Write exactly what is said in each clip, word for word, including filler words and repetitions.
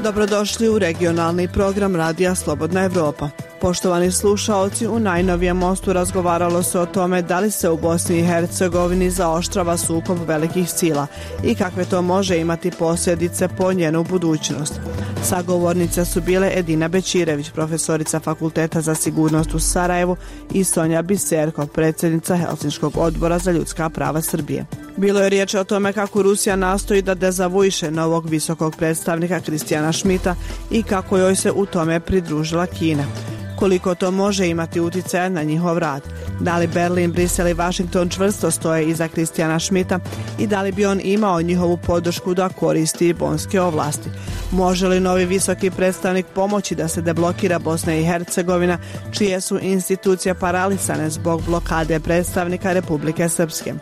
Dobrodošli u regionalni program Radija Slobodna Evropa. Poštovani slušaoci, u najnovijem mostu razgovaralo se o tome da li se u Bosni i Hercegovini zaoštrava sukob velikih sila i kakve to može imati posljedice po njenu budućnost. Sagovornice su bile Edina Bećirević, profesorica Fakulteta za sigurnost u Sarajevu, i Sonja Biserko, predsjednica Helsinškog odbora za ljudska prava Srbije. Bilo je riječ o tome kako Rusija nastoji da dezavuiše novog visokog predstavnika Kristijana Schmidta i kako joj se u tome pridružila Kina. Koliko to može imati utjecaja na njihov rad? Da li Berlin, Brisel i Washington čvrsto stoje iza Kristijana Schmidta i da li bi on imao njihovu podršku da koristi bonske ovlasti? Može li novi visoki predstavnik pomoći da se deblokira Bosna i Hercegovina, čije su institucije paralisane zbog blokade predstavnika Republike Srpske?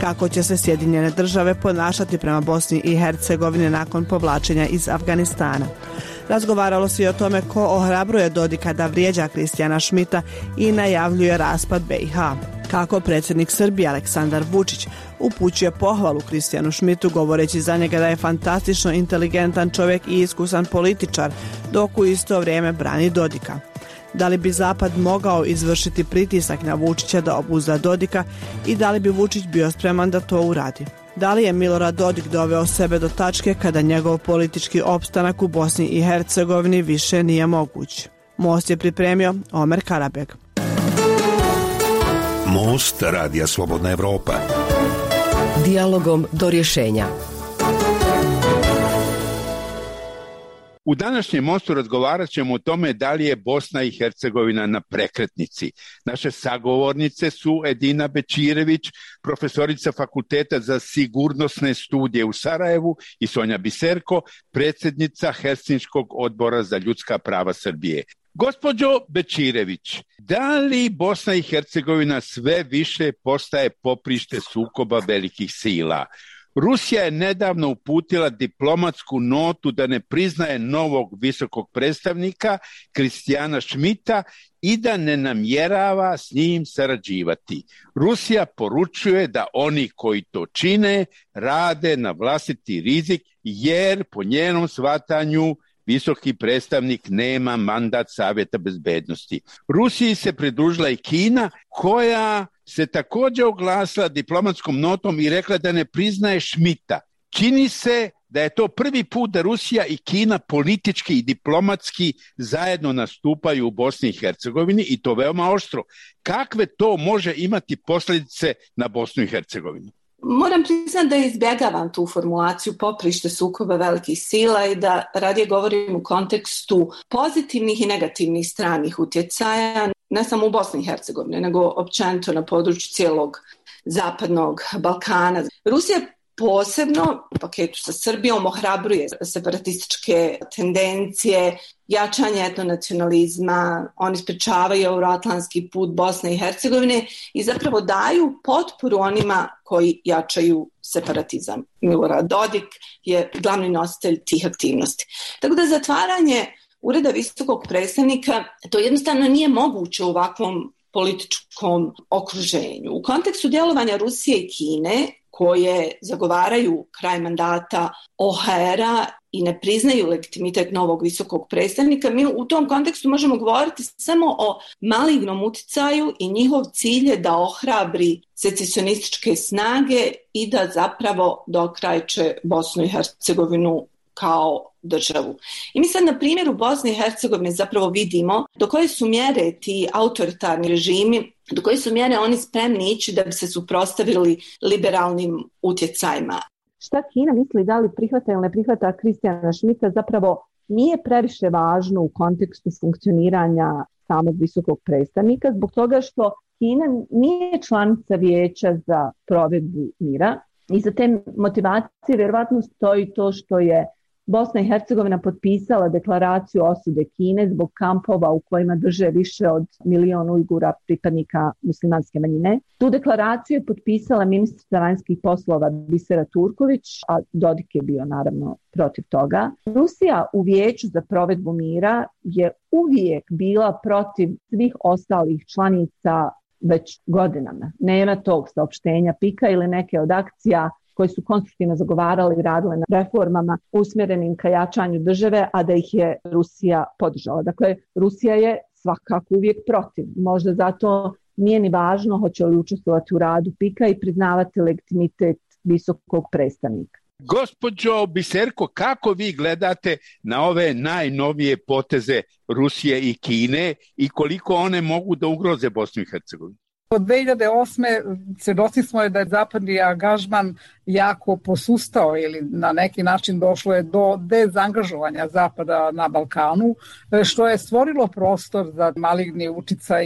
Kako će se Sjedinjene države ponašati prema Bosni i Hercegovini nakon povlačenja iz Afganistana? Razgovaralo se i o tome ko ohrabruje Dodika da vrijeđa Kristijana Schmidta i najavljuje raspad be i ha. Kako predsjednik Srbije Aleksandar Vučić upućuje pohvalu Kristijanu Schmidtu govoreći za njega da je fantastično inteligentan čovjek i iskusan političar, dok u isto vrijeme brani Dodika. Da li bi Zapad mogao izvršiti pritisak na Vučića da obuzda Dodika i da li bi Vučić bio spreman da to uradi? Da li je Milorad Dodik doveo sebe do tačke kada njegov politički opstanak u Bosni i Hercegovini više nije moguć? Most je pripremio Omer Karabeg. Most Radija Slobodna Evropa. Dijalogom do rješenja. U današnjem mostu razgovarat ćemo o tome da li je Bosna i Hercegovina na prekretnici. Naše sagovornice su Edina Bećirević, profesorica Fakulteta za sigurnosne studije u Sarajevu, i Sonja Biserko, predsjednica Helsinškog odbora za ljudska prava Srbije. Gospođo Bećirević, da li Bosna i Hercegovina sve više postaje poprište sukoba velikih sila? Rusija je nedavno uputila diplomatsku notu da ne priznaje novog visokog predstavnika Kristijana Schmidta i da ne namjerava s njim sarađivati. Rusija poručuje da oni koji to čine rade na vlastiti rizik, jer po njenom shvatanju visoki predstavnik nema mandat Savjeta bezbednosti. Rusiji se pridružila i Kina, koja se također oglasila diplomatskom notom i rekla da ne priznaje Schmidta. Čini se da je to prvi put da Rusija i Kina politički i diplomatski zajedno nastupaju u Bosni i Hercegovini, i to veoma oštro. Kakve to može imati posljedice na Bosnu i Hercegovinu? Moram priznati da izbjegavam tu formulaciju poprište sukoba velikih sila i da radije govorim u kontekstu pozitivnih i negativnih stranih utjecaja, ne samo u Bosni i Hercegovini, nego općenito na području cijelog zapadnog Balkana. Rusija posebno u paketu sa Srbijom ohrabruje separatističke tendencije, jačanje etnonacionalizma, oni sprečavaju euroatlantski put Bosne i Hercegovine i zapravo daju potporu onima koji jačaju separatizam. Milorad Dodik je glavni nositelj tih aktivnosti. Tako da zatvaranje ureda visokog predstavnika, to jednostavno nije moguće u ovakvom političkom okruženju. U kontekstu djelovanja Rusije i Kine, koje zagovaraju kraj mandata o ha era i ne priznaju legitimitet novog visokog predstavnika, mi u tom kontekstu možemo govoriti samo o malignom utjecaju i njihov cilj je da ohrabri secesionističke snage i da zapravo dokrajče Bosnu i Hercegovinu kao državu. I mi sad na primjeru Bosne i Hercegovine zapravo vidimo do koje su mjere ti autoritarni režimi, do koje su mjere oni spremni ići da bi se suprotstavili liberalnim utjecajima. Šta Kina misli, da li prihvata ili ne prihvata Kristijana Schmidta, zapravo nije previše važno u kontekstu funkcioniranja samog visokog predstavnika, zbog toga što Kina nije članica Vijeća za provedbu mira i za te motivacije vjerovatno stoji to što je Bosna i Hercegovina potpisala deklaraciju osude Kine zbog kampova u kojima drže više od milion Ujgura, pripadnika muslimanske manjine. Tu deklaraciju je potpisala ministrica vanjskih poslova Bisera Turković, a Dodik je bio naravno protiv toga. Rusija u Vijeću za provedbu mira je uvijek bila protiv svih ostalih članica već godinama. Nema tog saopštenja pika ili neke od akcija koji su konstruktivno zagovarali i radile na reformama usmjerenim ka jačanju države, a da ih je Rusija podržala. Dakle, Rusija je svakako uvijek protiv. Možda zato nije ni važno hoće li učestvovati u radu pika i priznavati legitimitet visokog predstavnika. Gospođo Biserko, kako vi gledate na ove najnovije poteze Rusije i Kine i koliko one mogu da ugroze Bosnu i Hercegovinu? Od dve hiljade osme svjedoci smo da je zapadni angažman jako posustao ili na neki način došlo je do dezangažovanja Zapada na Balkanu, što je stvorilo prostor za maligni uticaj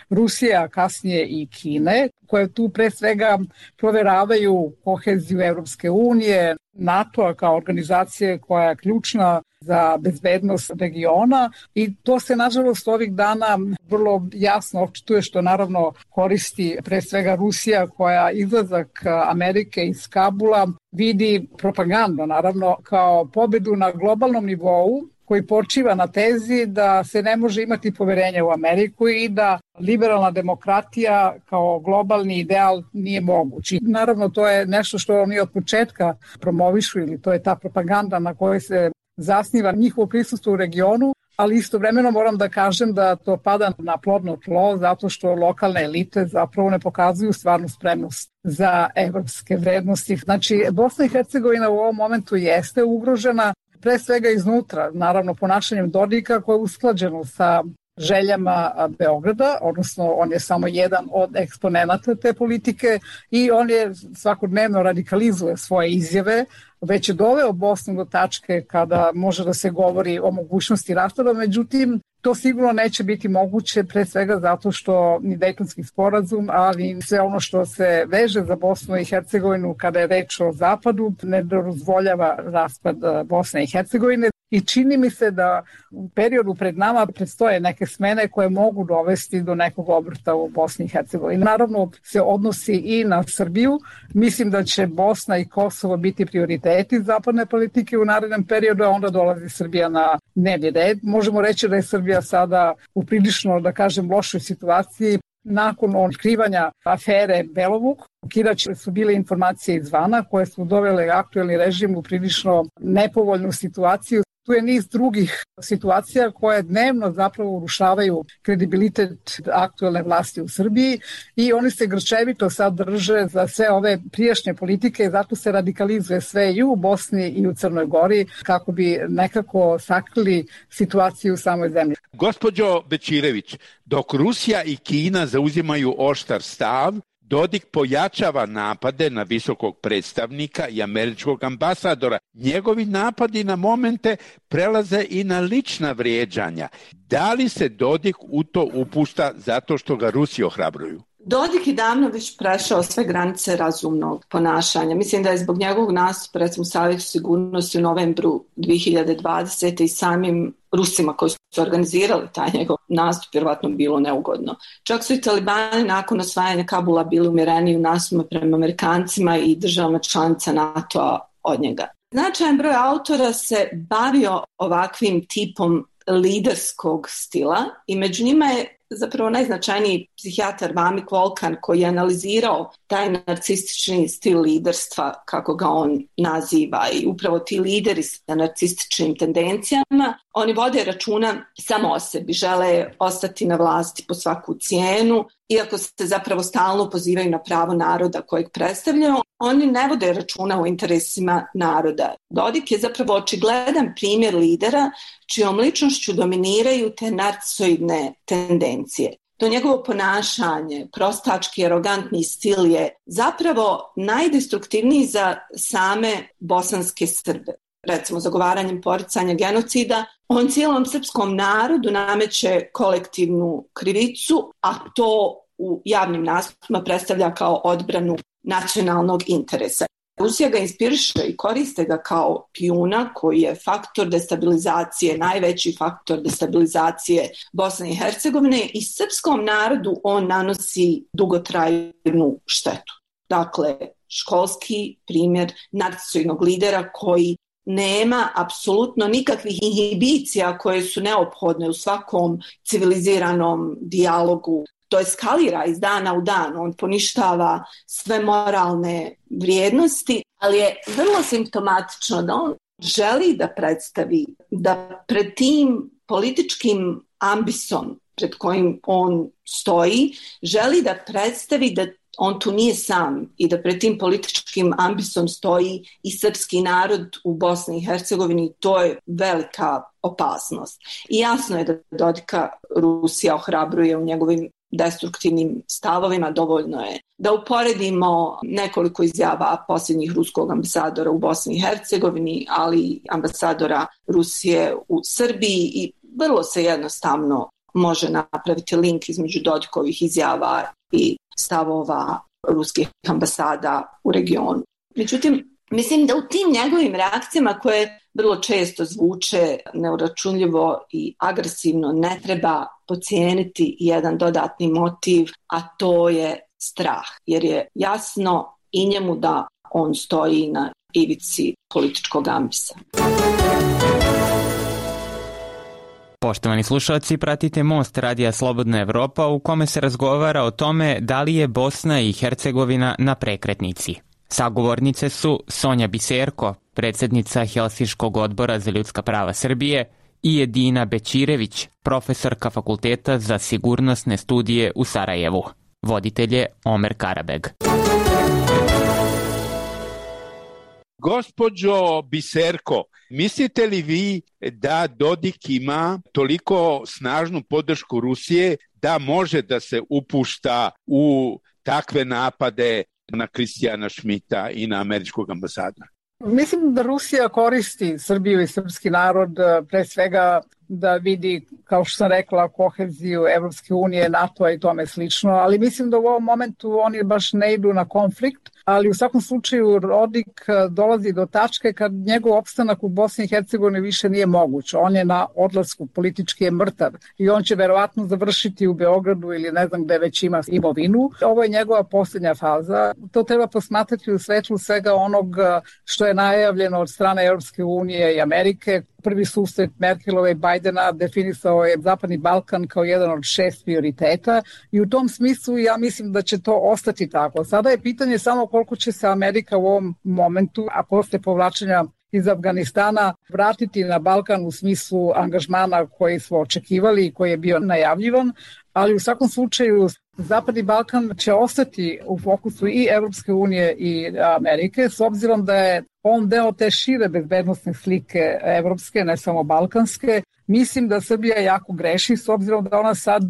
Rusije, a kasnije i Kine, koje tu pre svega proveravaju koheziju Evropske unije, NATO-a kao organizacije koja je ključna za bezbednost regiona i to se nažalost ovih dana vrlo jasno očituje, što naravno koristi pre svega Rusija, koja izlazak Amerike iz Kabula vidi propaganda naravno kao pobedu na globalnom nivou koji počiva na tezi da se ne može imati poverenje u Ameriku i da liberalna demokratija kao globalni ideal nije moguć. I naravno to je nešto što oni od početka promovišu ili to je ta propaganda na kojoj se zasniva njihovo prisustvo u regionu, ali istovremeno moram da kažem da to pada na plodno tlo zato što lokalne elite zapravo ne pokazuju stvarnu spremnost za evropske vrednosti. Znači, Bosna i Hercegovina u ovom momentu jeste ugrožena pre svega iznutra, naravno ponašanjem Dodika koje je usklađeno sa željama Beograda, odnosno on je samo jedan od eksponenata te politike i on je svakodnevno radikalizuje svoje izjave, već je doveo Bosnu do tačke kada može da se govori o mogućnosti raspada, međutim to sigurno neće biti moguće pre svega zato što ni Dejtonski sporazum, ali sve ono što se veže za Bosnu i Hercegovinu kada je reč o zapadu ne dozvoljava raspad Bosne i Hercegovine. I čini mi se da u periodu pred nama predstoje neke smene koje mogu dovesti do nekog obrta u Bosni i Hercegovini. Naravno se odnosi i na Srbiju. Mislim da će Bosna i Kosovo biti prioriteti zapadne politike u narednom periodu, a onda dolazi Srbija na dnevni red. Možemo reći da je Srbija sada u prilično, da kažem, lošoj situaciji. Nakon otkrivanja afere Belovuk, ukidać su bile informacije izvana koje su dovele aktuelni režim u prilično nepovoljnu situaciju. Tu je niz drugih situacija koje dnevno zapravo urušavaju kredibilitet aktuelne vlasti u Srbiji i oni se grčevito sad drže za sve ove prijašnje politike i zato se radikalizuje sve i u Bosni i u Crnoj Gori kako bi nekako sakrili situaciju u samoj zemlji. Gospođo Bečirević, dok Rusija i Kina zauzimaju oštar stav, Dodik pojačava napade na visokog predstavnika i američkog ambasadora. Njegovi napadi na momente prelaze i na lična vrijeđanja. Da li se Dodik u to upušta zato što ga Rusi ohrabruju? Dodik je davno već prešao sve granice razumnog ponašanja. Mislim da je zbog njegovog nastupa, recimo, Savjetu sigurnosti u novembru dvije hiljade dvadesete i samim Rusima koji su organizirali taj njegov nastup vjerovatno bilo neugodno. Čak su i talibani nakon osvajanja Kabula bili umjereniji u nastupu prema Amerikancima i državama članica NATO-a od njega. Značajan broj autora se bavio ovakvim tipom liderskog stila i među njima je zapravo najznačajniji psihijatar Vamik Volkan koji je analizirao taj narcistični stil liderstva, kako ga on naziva, i upravo ti lideri sa narcističnim tendencijama, oni vode računa samo o sebi, žele ostati na vlasti po svaku cijenu, iako se zapravo stalno pozivaju na pravo naroda kojeg predstavljaju, oni ne vode računa o interesima naroda. Dodik je zapravo očigledan primjer lidera čijom ličnošću dominiraju te narcisoidne tendencije. To njegovo ponašanje, prostački, arogantni stil je zapravo najdestruktivniji za same bosanske Srbe. Recimo, zagovaranjem poricanja genocida, on cijelom srpskom narodu nameće kolektivnu krivicu, a to u javnim nastupima predstavlja kao odbranu nacionalnog interesa. Rusija ga inspiriše i koriste ga kao pijuna koji je faktor destabilizacije, najveći faktor destabilizacije Bosne i Hercegovine, i srpskom narodu on nanosi dugotrajnu štetu. Dakle, školski primjer narcisoidnog lidera koji nema apsolutno nikakvih inhibicija koje su neophodne u svakom civiliziranom dijalogu to eskalira iz dana u dan, on poništava sve moralne vrijednosti, ali je vrlo simptomatično da on želi da predstavi da pred tim političkim ambisom pred kojim on stoji, želi da predstavi da on tu nije sam i da pred tim političkim ambisom stoji i srpski narod u Bosni i Hercegovini. To je velika opasnost. I jasno je da Dodika Rusija ohrabruje u njegovim destruktivnim stavovima. Dovoljno je da uporedimo nekoliko izjava posljednjih ruskog ambasadora u Bosni i Hercegovini, ali i ambasadora Rusije u Srbiji, i vrlo se jednostavno može napraviti link između Dodikovih izjava i stavova ruskih ambasada u regionu. Međutim, mislim da u tim njegovim reakcijama, koje vrlo često zvuče neuračunljivo i agresivno, ne treba podcijeniti jedan dodatni motiv, a to je strah. Jer je jasno i njemu da on stoji na ivici političkog ambisa. Poštovani slušalci, pratite Most Radija Slobodna Evropa, u kome se razgovara o tome da li je Bosna i Hercegovina na prekretnici. Sagovornice su Sonja Biserko, predsjednica Helsinškog odbora za ljudska prava Srbije, i Edina Bećirević, profesorka Fakulteta za sigurnosne studije u Sarajevu. Voditelj je Omer Karabeg. Gospođo Biserko, mislite li vi da Dodik ima toliko snažnu podršku Rusije da može da se upušta u takve napade na Kristijana Šmita i na američkog ambasadora? Mislim da Rusija koristi Srbiju i srpski narod pre svega da vidi, kao što sam rekla, koheziju Evropske unije, NATO i tome slično, ali mislim da u ovom momentu oni baš ne idu na konflikt, ali u svakom slučaju Dodik dolazi do tačke kad njegov opstanak u Bosni i Hercegovini više nije moguć. On je na odlasku, politički je mrtav i on će verovatno završiti u Beogradu ili ne znam gde već ima imovinu. Ovo je njegova posljednja faza. To treba posmatrati u svetlu svega onog što je najavljeno od strane Evropske unije i Amerike. Prvi susret Merkelove i Bajdena definisao je Zapadni Balkan kao jedan od šest prioriteta i u tom smislu ja mislim da će to ostati tako. Sada je pitanje samo koliko će se Amerika u ovom momentu, a posle povlačenja iz Afganistana, vratiti na Balkan u smislu angažmana koji smo očekivali i koji je bio najavljivan, ali u svakom slučaju Zapadni Balkan će ostati u fokusu i Evropske unije i Amerike, s obzirom da je on deo te šire bezbednostne slike evropske, ne samo balkanske. Mislim da Srbija jako greši, s obzirom da ona sad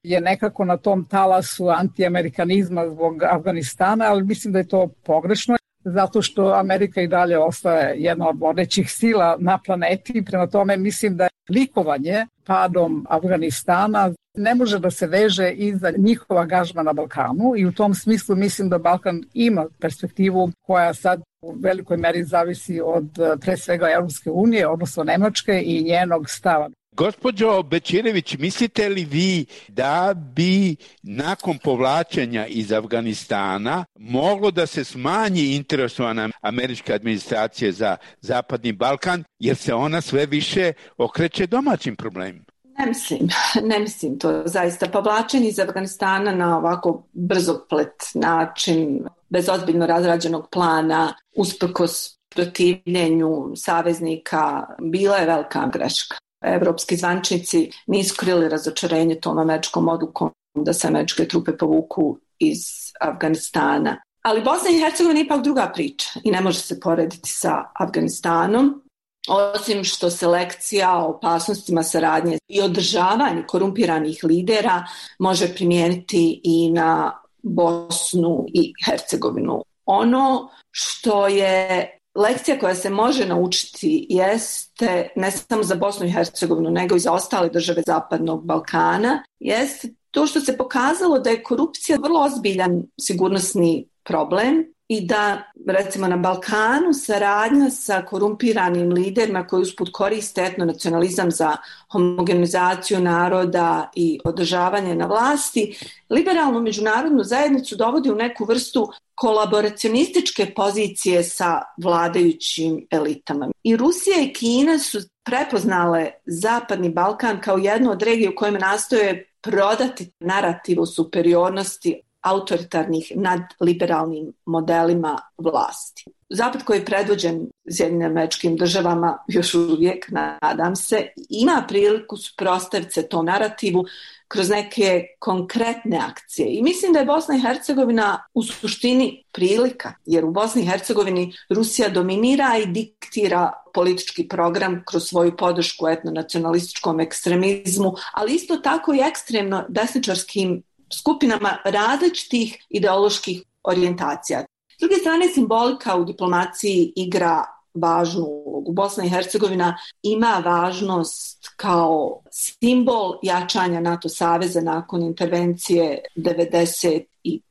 je nekako na tom talasu antiamerikanizma zbog Afganistana, ali mislim da je to pogrešno, zato što Amerika i dalje ostaje jedna od vodećih sila na planeti. Prema tome mislim da je likovanje padom Afganistana ne može da se veže iza njihova angažma na Balkanu i u tom smislu mislim da Balkan ima perspektivu koja sad u velikoj meri zavisi od pre svega Evropske unije, odnosno Nemačke i njenog stava. Gospođo Bećirević, mislite li vi da bi nakon povlačenja iz Afganistana moglo da se smanji interesovana američke administracije za Zapadni Balkan, jer se ona sve više okreće domaćim problemima? Ne mislim, ne mislim to zaista. Povlačenje iz Afganistana na ovako brzoplet način, bez ozbiljno razrađenog plana, usprkos protivljenju saveznika, bila je velika greška. Evropski zvančnici nisu krili razočarenje tom američkom odlukom da se američke trupe povuku iz Afganistana. Ali Bosna i Hercegovina je ipak druga priča i ne može se porediti sa Afganistanom. Osim što se lekcija o opasnostima saradnje i održavanje korumpiranih lidera može primijeniti i na Bosnu i Hercegovinu. Ono što je lekcija koja se može naučiti jeste, ne samo za Bosnu i Hercegovinu, nego i za ostale države Zapadnog Balkana, jeste to što se pokazalo da je korupcija vrlo ozbiljan sigurnosni problem i da, recimo, na Balkanu saradnja sa korumpiranim liderima koji usput koriste etnonacionalizam za homogenizaciju naroda i održavanje na vlasti, liberalnu međunarodnu zajednicu dovodi u neku vrstu kolaboracionističke pozicije sa vladajućim elitama. I Rusija i Kina su prepoznale Zapadni Balkan kao jednu od regija u kojima nastoje prodati narativ o superiornosti autoritarnih nad liberalnim modelima vlasti. Zapad koji je predvođen Sjedinjenim Američkim Državama još uvijek, nadam se, ima priliku suprotstaviti se tom narativu kroz neke konkretne akcije. I mislim da je Bosna i Hercegovina u suštini prilika, jer u Bosni i Hercegovini Rusija dominira i diktira politički program kroz svoju podršku etnonacionalističkom ekstremizmu, ali isto tako i ekstremno desničarskim skupinama različitih ideoloških orijentacija. S druge strane, simbolika u diplomaciji igra važnu ulogu. Bosna i Hercegovina ima važnost kao simbol jačanja NATO saveza nakon intervencije devedeset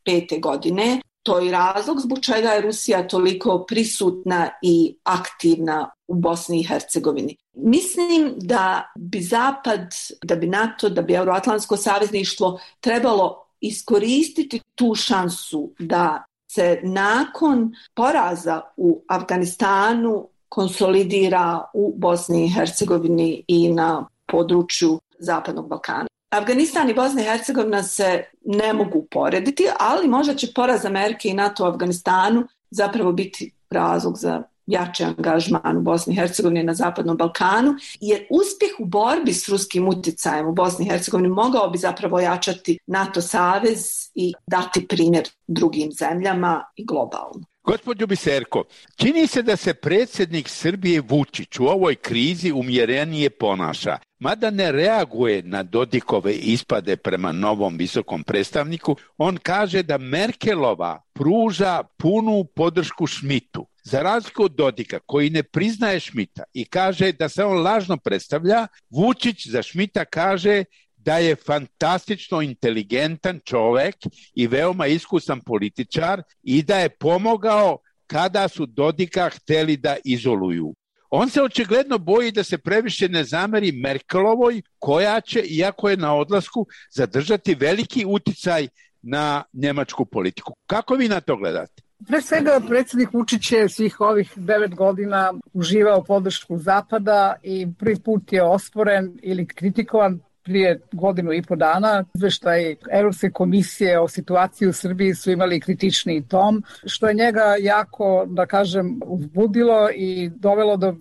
pete godine. To je razlog zbog čega je Rusija toliko prisutna i aktivna u Bosni i Hercegovini. Mislim da bi Zapad, da bi NATO, da bi Euroatlantsko savezništvo trebalo iskoristiti tu šansu da se nakon poraza u Afganistanu konsolidira u Bosni i Hercegovini i na području Zapadnog Balkana. Afganistan i Bosna i Hercegovina se ne mogu porediti, ali možda će poraz Amerike i NATO u Afganistanu zapravo biti razlog za jači angažman u Bosni i Hercegovini na Zapadnom Balkanu, jer uspjeh u borbi s ruskim utjecajem u Bosni i Hercegovini mogao bi zapravo jačati NATO savez i dati primjer drugim zemljama i globalno. Gospođo Biserko, čini se da se predsjednik Srbije Vučić u ovoj krizi umjerenije ponaša, mada ne reaguje na Dodikove ispade prema novom visokom predstavniku. On kaže da Merkelova pruža punu podršku Schmidtu. Za razliku od Dodika, koji ne priznaje Schmidta i kaže da se on lažno predstavlja, Vučić za Schmidta kaže da je fantastično inteligentan čovjek i veoma iskusan političar i da je pomogao kada su Dodika htjeli da izoluju. On se očigledno boji da se previše ne zameri Merkelovoj, koja će, iako je na odlasku, zadržati veliki utjecaj na njemačku politiku. Kako vi na to gledate? Pre svega, predsjednik Vučić je svih ovih devet godina uživao podršku Zapada i prvi put je osporen ili kritikovan prije godinu i po dana. Izveštaj Europske komisije o situaciji u Srbiji su imali kritični tom, što je njega jako, da kažem, uzbudilo i dovelo do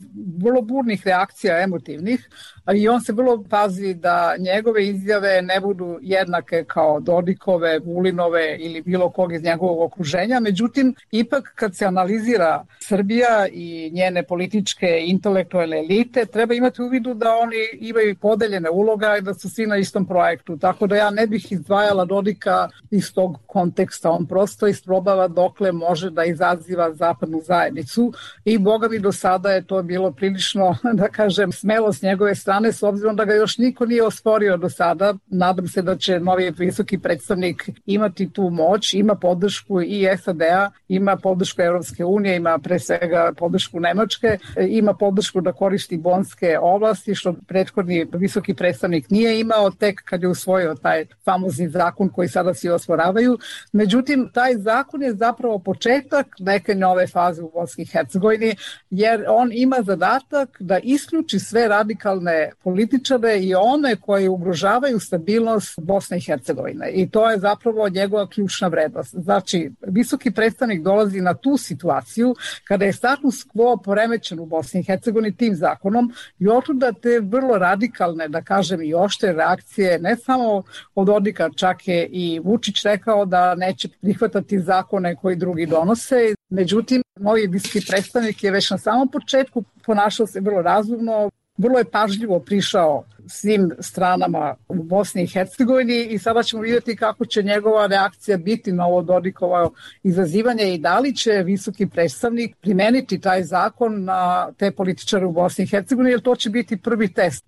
vrlo burnih reakcija emotivnih. I on se vrlo pazi da njegove izjave ne budu jednake kao Dodikove, Vulinove ili bilo kog iz njegovog okruženja. Međutim, ipak kad se analizira Srbija i njene političke intelektualne elite, treba imati u vidu da oni imaju podeljene uloga i da su svi na istom projektu. Tako da ja ne bih izdvajala Dodika iz tog konteksta. On prosto isprobava dokle može da izaziva zapadnu zajednicu i boga mi do sada je to bilo prilično, da kažem, smelo s njegove strane, s obzirom da ga još niko nije osporio do sada. Nadam se da će novi visoki predstavnik imati tu moć, ima podršku i S A D-a, ima podršku Europske unije, ima pre svega podršku Nemačke, ima podršku da koristi bonske ovlasti, što prethodni visoki predstavnik nije imao tek kad je usvojio taj famozni zakon koji sada svi osporavaju. Međutim, taj zakon je zapravo početak neke nove faze u Bosni i Hercegovini, jer on ima zadatak da isključi sve radikalne političare i one koji ugrožavaju stabilnost Bosne i Hercegovine. I to je zapravo njegova ključna vrednost. Znači, visoki predstavnik dolazi na tu situaciju kada je status quo poremećen u Bosni i Hercegovini tim zakonom i otuda te vrlo radikalne, da kažem, i oštre reakcije, ne samo od Dodika, čak je i Vučić rekao da neće prihvatati zakone koji drugi donose. Međutim, novi visoki predstavnik je već na samom početku ponašao se vrlo razumno, vrlo je pažljivo prišao svim stranama u Bosni i Hercegovini i sada ćemo vidjeti kako će njegova reakcija biti na ovo Dodikovo izazivanje i da li će visoki predstavnik primeniti taj zakon na te političare u Bosni i Hercegovini, jer to će biti prvi test.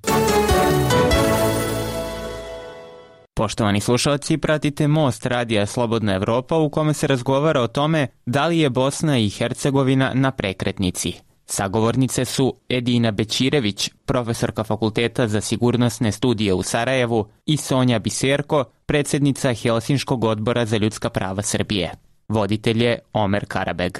Poštovani slušalci, pratite Most radija Slobodna Evropa u kome se razgovara o tome da li je Bosna i Hercegovina na prekretnici. Sagovornice su Edina Bećirević, profesorka Fakulteta za sigurnosne studije u Sarajevu, i Sonja Biserko, predsjednica Helsinškog odbora za ljudska prava Srbije. Voditelj je Omer Karabeg.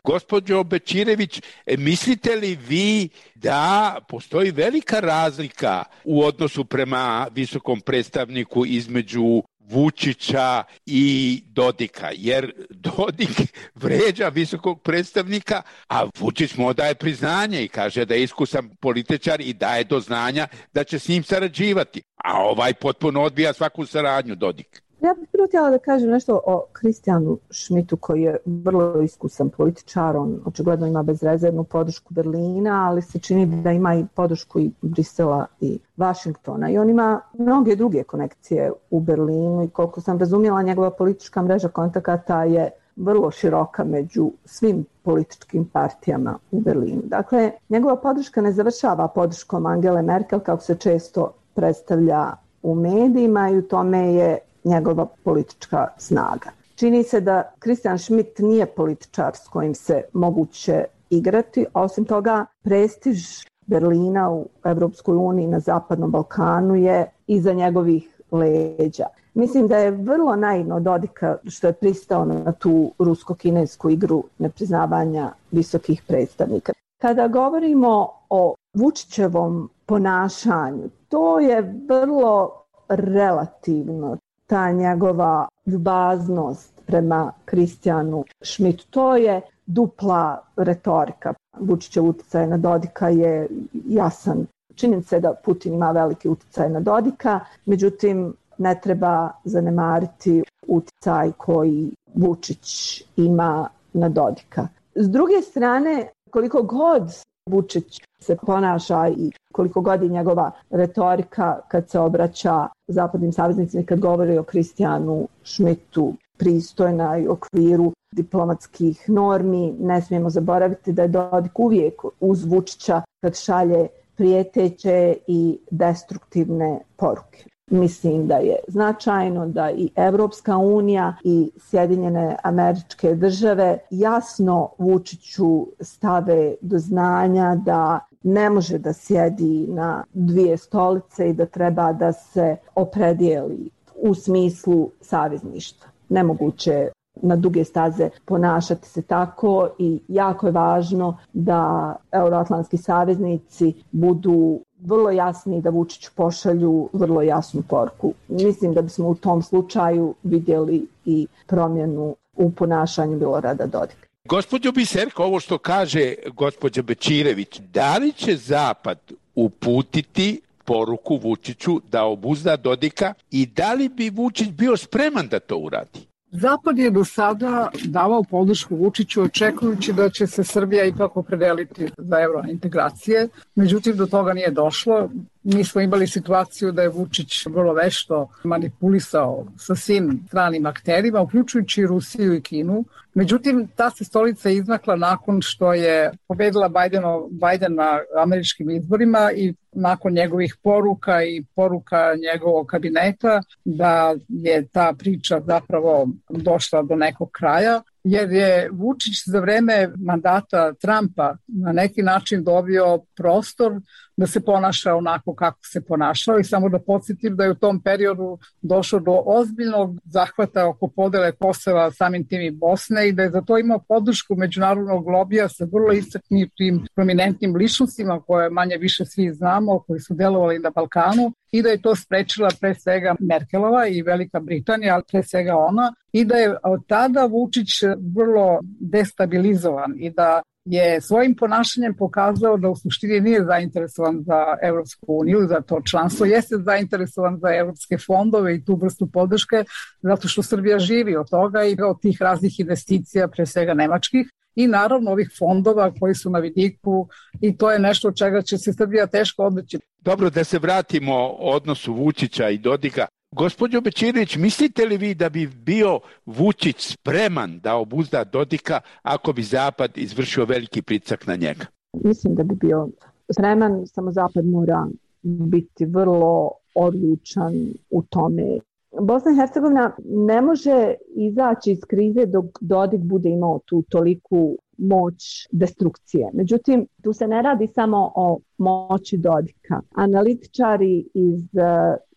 Gospođo Bečirević, mislite li vi da postoji velika razlika u odnosu prema visokom predstavniku između Vučića i Dodika, jer Dodik vređa visokog predstavnika, a Vučić mu daje priznanje i kaže da je iskusan političar i daje do znanja da će s njim sarađivati, a ovaj potpuno odbija svaku saradnju, Dodik. Ja bih prvo htjela da kažem nešto o Kristijanu Šmitu, koji je vrlo iskusan političar. On očigledno ima bezrezervnu podršku Berlina, ali se čini da ima i podršku i Brisela i Vašingtona. I on ima mnoge druge konekcije u Berlinu i koliko sam razumjela, njegova politička mreža kontakata je vrlo široka među svim političkim partijama u Berlinu. Dakle, njegova podrška ne završava podrškom Angele Merkel, kako se često predstavlja u medijima, i u tome je njegova politička snaga. Čini se da Kristijan Šmit nije političar s kojim se moguće igrati, a osim toga prestiž Berlina u Evropskoj uniji na Zapadnom Balkanu je iza njegovih leđa. Mislim da je vrlo naivno od Dodika što je pristao na tu rusko-kinesku igru nepriznavanja visokih predstavnika. Kada govorimo o Vučićevom ponašanju, to je vrlo relativno. Ta njegova ljubaznost prema Kristijanu Šmitu, to je dupla retorika. Vučićev utjecaj na Dodika je jasan. Činjenica je da Putin ima veliki utjecaj na Dodika, međutim ne treba zanemariti utjecaj koji Vučić ima na Dodika. S druge strane, koliko god Vučić se ponaša i koliko god je njegova retorika kad se obraća zapadnim saveznicima i kad govori o Kristijanu Šmitu pristojna i u okviru diplomatskih normi, ne smijemo zaboraviti da je Dodik uvijek uz Vučića kad šalje prijeteće i destruktivne poruke. Mislim da je značajno da i Evropska unija i Sjedinjene Američke Države jasno Vučiću stave do znanja da ne može da sjedi na dvije stolice i da treba da se opredijeli u smislu savezništva. Nemoguće na duge staze ponašati se tako i jako je važno da euroatlantski saveznici budu vrlo jasni, da Vučiću pošalju vrlo jasnu poruku. Mislim da bismo u tom slučaju vidjeli i promjenu u ponašanju Milorada Dodika. Gospođo Biserko, ovo što kaže gospođa Bečirević, da li će Zapad uputiti poruku Vučiću da obuzda Dodika i da li bi Vučić bio spreman da to uradi? Zapad je do sada davao podršku Vučiću očekujući da će se Srbija ipak opredeliti za eurointegracije. Međutim, do toga nije došlo. Mi smo imali situaciju da je Vučić vrlo vešto manipulisao sa svim stranim akterima, uključujući Rusiju i Kinu. Međutim, ta se stolica izmakla nakon što je pobedila Bidenov, Biden na američkim izborima i nakon njegovih poruka i poruka njegovog kabineta da je ta priča zapravo došla do nekog kraja, jer je Vučić za vreme mandata Trumpa na neki način dobio prostor da se ponaša onako kako se ponašao i samo da podsjetim da je u tom periodu došlo do ozbiljnog zahvata oko podele Kosova, samim tim i Bosne, i da je za to imao podršku međunarodnog lobija sa vrlo istaknutim prominentnim ličnostima koje manje više svi znamo, koji su delovali na Balkanu, i da je to sprečila pre svega Merkelova i Velika Britanija, ali pre svega ona, i da je od tada Vučić vrlo destabilizovan i da je svojim ponašanjem pokazao da u suštini nije zainteresovan za Evropsku uniju, za to članstvo, jeste zainteresovan za evropske fondove i tu vrstu podrške, zato što Srbija živi od toga i od tih raznih investicija, pre svega nemačkih, i naravno ovih fondova koji su na vidiku, i to je nešto od čega će se Srbija teško odreći. Dobro, da se vratimo odnosu Vučića i Dodika. Gospođo Bečirević, mislite li vi da bi bio Vučić spreman da obuzda Dodika ako bi Zapad izvršio veliki pritisak na njega? Mislim da bi bio spreman, samo Zapad mora biti vrlo odlučan u tome. Bosna i Hercegovina ne može izaći iz krize dok Dodik bude imao tu toliku moć destrukcije. Međutim, tu se ne radi samo o moći Dodika. Analitičari iz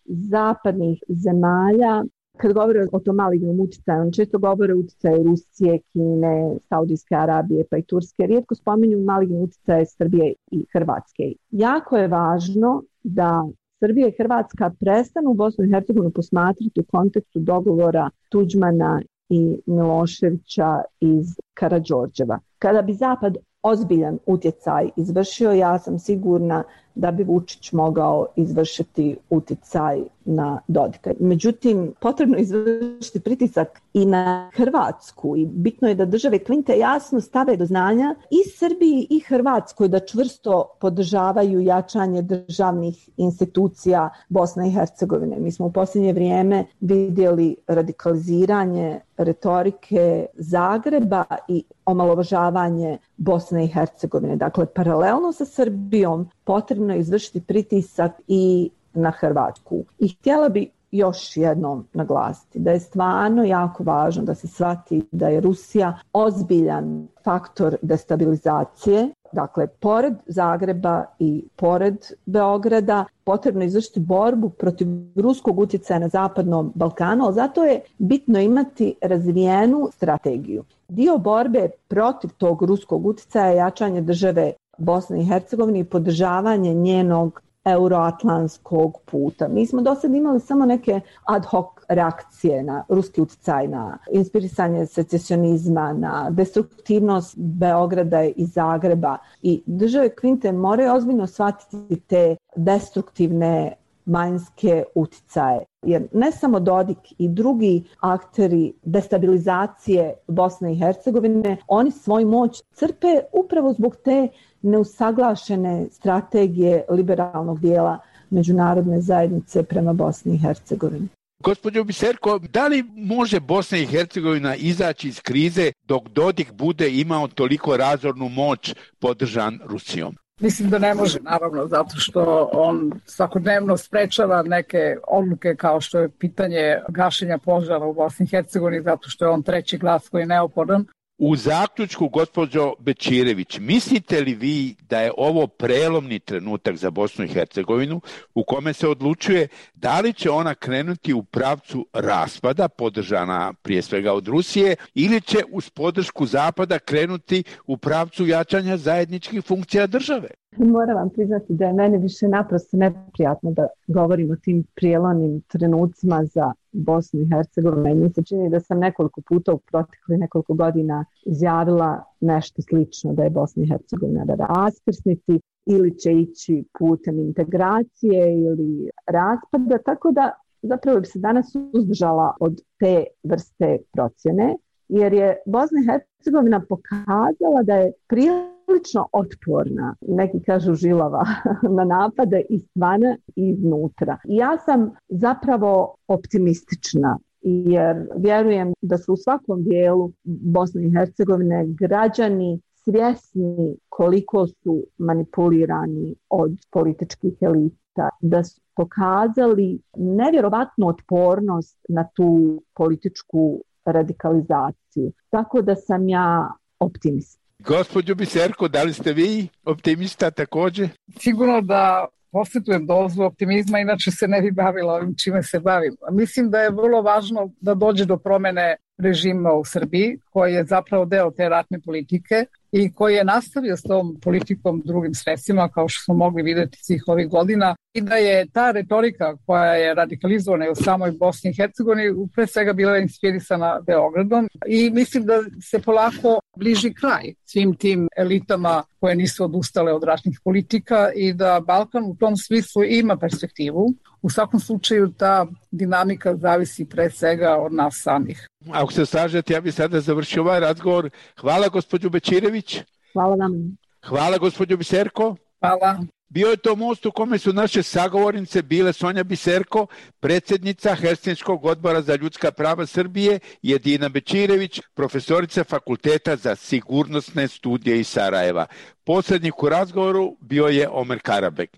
zapadnih zemalja Kad govore o tom malignom utjecaju, on često govore o utjecaju Rusije, Kine, Saudijske Arabije pa i Turske. Rijetko spominju maligni utjecaj Srbije i Hrvatske. Jako je važno da Srbija i Hrvatska prestanu Bosnu i Hercegovinu posmatrati u kontekstu dogovora Tuđmana i Miloševića iz Karađorđeva. Kada bi Zapad ozbiljan utjecaj izvršio, ja sam sigurna da bi Vučić mogao izvršiti utjecaj na Dodika. Međutim, potrebno je izvršiti pritisak i na Hrvatsku i bitno je da države Klinte jasno stave do znanja i Srbiji i Hrvatskoj da čvrsto podržavaju jačanje državnih institucija Bosne i Hercegovine. Mi smo u posljednje vrijeme vidjeli radikaliziranje retorike Zagreba i omalovažavanje Bosne i Hercegovine. Dakle, paralelno sa Srbijom potrebno je izvršiti pritisak i na Hrvatsku. I htjela bi još jednom naglasiti da je stvarno jako važno da se shvati da je Rusija ozbiljan faktor destabilizacije. Dakle, pored Zagreba i pored Beograda potrebno je izvršiti borbu protiv ruskog utjecaja na Zapadnom Balkanu, ali zato je bitno imati razvijenu strategiju. Dio borbe protiv tog ruskog utjecaja je jačanje države Bosne i Hercegovine i podržavanje njenog euroatlantskog puta. Mi smo do sad imali samo neke ad hoc reakcije na ruski utjecaj, na inspirisanje secesionizma, na destruktivnost Beograda i Zagreba. I države Klinte moraju ozbiljno shvatiti te destruktivne vanjske utjecaje. Jer ne samo Dodik i drugi akteri destabilizacije Bosne i Hercegovine, oni svoju moć crpe upravo zbog te neusaglašene strategije liberalnog dijela međunarodne zajednice prema Bosni i Hercegovini. Gospođo Biserko, da li može Bosna i Hercegovina izaći iz krize dok Dodik bude imao toliko razornu moć podržan Rusijom? Mislim da ne može, naravno, zato što on svakodnevno sprečava neke odluke kao što je pitanje gašenja požara u Bosni i Hercegovini, zato što je on treći glas koji je neophodan. U zaključku, gospođo Bečirević, mislite li vi da je ovo prelomni trenutak za Bosnu i Hercegovinu u kome se odlučuje da li će ona krenuti u pravcu raspada, podržana prije svega od Rusije, ili će uz podršku Zapada krenuti u pravcu jačanja zajedničkih funkcija države? Moram vam priznati da je meni više naprosto neprijatno da govorim o tim prijelomnim trenucima za Bosnu i Hercegovinu. Mi se čini da sam nekoliko puta u proteklih nekoliko godina izjavila nešto slično, da je Bosna i Hercegovina na raskrsnici ili će ići putem integracije ili raspada, tako da zapravo bi se danas uzdržala od te vrste procjene, jer je Bosna i Hercegovina pokazala da je prilično otporna, neki kažu žilava, na napade izvana i iznutra. I ja sam zapravo optimistična, jer vjerujem da su u svakom dijelu Bosne i Hercegovine građani svjesni koliko su manipulirani od političkih elita, da su pokazali nevjerovatnu otpornost na tu političku radikalizaciju. Tako da sam ja optimist. Gospođo Biserko, da li ste vi optimista također? Sigurno da posjetujem dozu optimizma, inače se ne bi bavila ovim čime se bavim. Mislim da je vrlo važno da dođe do promjene režima u Srbiji, koji je zapravo deo te ratne politike i koji je nastavio s tom politikom drugim sredstvima, kao što smo mogli vidjeti svih ovih godina, i da je ta retorika koja je radikalizovana u samoj Bosni i Hercegovini pre svega bila inspirisana Beogradom i mislim da se polako bliži kraj svim tim elitama koje nisu odustale od ratnih politika i da Balkan u tom smislu ima perspektivu. U svakom slučaju ta dinamika zavisi pre svega od nas samih. Ako se slažete, ja bih sada završio ovaj razgovor. Hvala gospođu Bečirević. Hvala vam. Hvala gospođu Biserko. Hvala. Bio je to most u kome su naše sagovornice bile Sonja Biserko, predsjednica Helsinškog odbora za ljudska prava Srbije, i Edina Bečirević, profesorica Fakulteta za sigurnosne studije iz Sarajeva. Posrednik u razgovoru bio je Omer Karabek.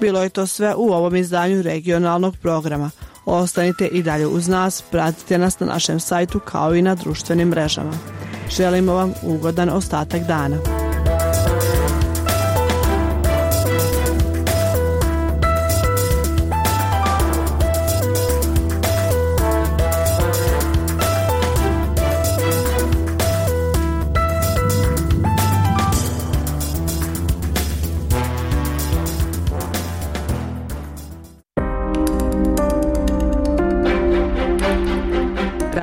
Bilo je to sve u ovom izdanju regionalnog programa. Ostanite i dalje uz nas, pratite nas na našem sajtu kao i na društvenim mrežama. Želimo vam ugodan ostatak dana.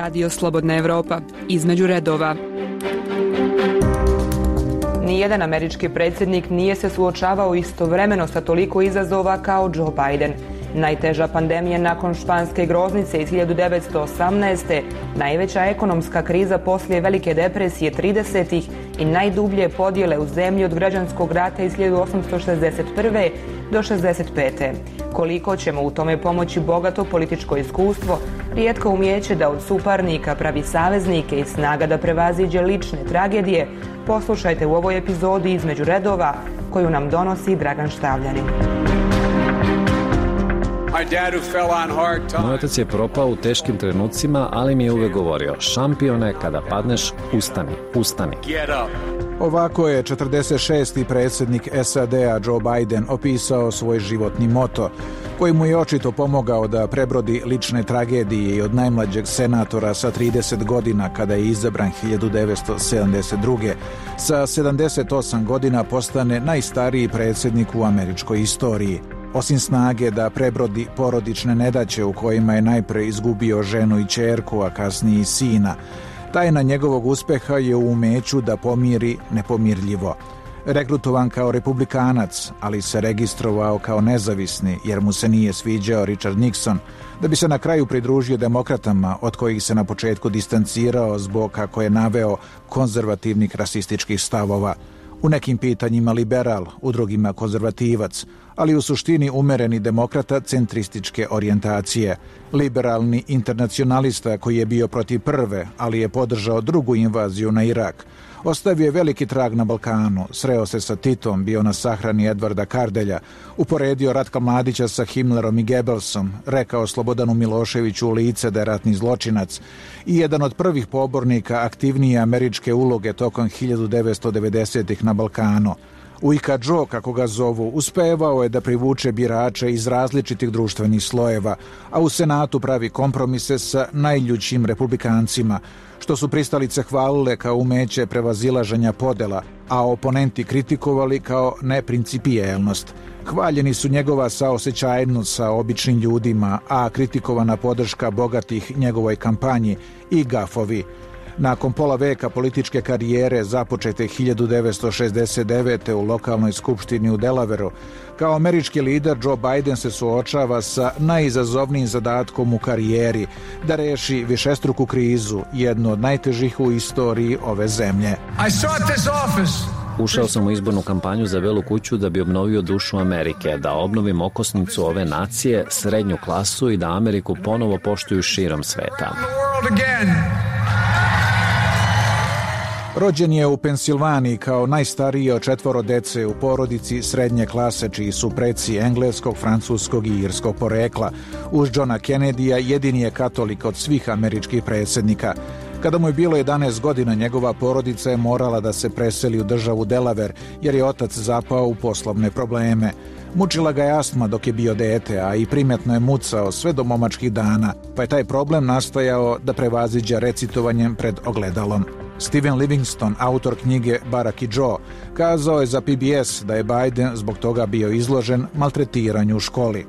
Radio Slobodna Evropa, između redova. Nijedan američki predsjednik nije se suočavao istovremeno sa toliko izazova kao Joe Biden. Najteža pandemija nakon španske groznice iz hiljadu devetsto osamnaeste. Najveća ekonomska kriza poslije Velike depresije tridesetih i najdublje podjele u zemlji od građanskog rata iz hiljadu osamsto šezdeset prve do šezdeset pete. Koliko ćemo u tome pomoći bogato političko iskustvo, rijetko umijeće da od suparnika pravi saveznike i snaga da prevaziđe lične tragedije, poslušajte u ovoj epizodi Između redova koju nam donosi Dragan Štavljanin. Moj otac je propao u teškim trenucima, ali mi je uvek govorio: šampione, kada padneš, ustani, ustani. Ovako je četrdeset šesti predsjednik S A D-a Joe Biden opisao svoj životni moto, koji mu je očito pomogao da prebrodi lične tragedije i od najmlađeg senatora sa trideset godina kada je izabran hiljadu devetsto sedamdeset druge. Sa sedamdeset osam godina postane najstariji predsjednik u američkoj istoriji. Osim snage da prebrodi porodične nedaće u kojima je najpre izgubio ženu i ćerku, a kasnije i sina, tajna njegovog uspeha je u umeću da pomiri nepomirljivo. Rekrutovan kao republikanac, ali se registrovao kao nezavisni jer mu se nije sviđao Richard Nixon, da bi se na kraju pridružio demokratama od kojih se na početku distancirao zbog, kako je naveo, konzervativnih rasističkih stavova. U nekim pitanjima liberal, u drugima konzervativac, ali u suštini umereni demokrata centrističke orijentacije. Liberalni internacionalista koji je bio protiv prve, ali je podržao drugu invaziju na Irak. Ostavio je veliki trag na Balkanu, sreo se sa Titom, bio na sahrani Edvarda Kardelja, uporedio Ratka Mladića sa Himmlerom i Goebbelsom, rekao Slobodanu Miloševiću u lice da je ratni zločinac i jedan od prvih pobornika aktivnije američke uloge tokom hiljadu devetsto devedesetih na Balkanu. Ujka Joe, kako ga zovu, uspevao je da privuče birače iz različitih društvenih slojeva, a u Senatu pravi kompromise sa najljućim republikancima, što su pristalice hvalile kao umeće prevazilaženja podela, a oponenti kritikovali kao neprincipijelnost. Hvaljeni su njegova saosećajnost sa običnim ljudima, a kritikovana podrška bogatih njegovoj kampanji i gafovi. Nakon pola veka političke karijere započete hiljadu devetsto šezdeset devete. u lokalnoj skupštini u Delaveru, kao američki lider Joe Biden se suočava sa najizazovnijim zadatkom u karijeri, da reši višestruku krizu, jednu od najtežih u istoriji ove zemlje. Ušao sam u izbornu kampanju za Belu kuću da bi obnovio dušu Amerike, da obnovim okosnicu ove nacije, srednju klasu i da Ameriku ponovo poštuju širom sveta. Rođen je u Pensilvaniji kao najstariji od četvoro dece u porodici srednje klase, čiji su preci engleskog, francuskog i irskog porekla. Uz Johna Kennedyja jedini je katolik od svih američkih predsjednika. Kada mu je bilo jedanaest godina, njegova porodica je morala da se preseli u državu Delaware, jer je otac zapao u poslovne probleme. Mučila ga je astma dok je bio dete, a i primetno je mucao sve do momačkih dana, pa je taj problem nastojao da prevaziđa recitovanjem pred ogledalom. Steven Livingston, autor knjige Barack i Joe, kazao je za P B S da je Biden zbog toga bio izložen maltretiranju u školi.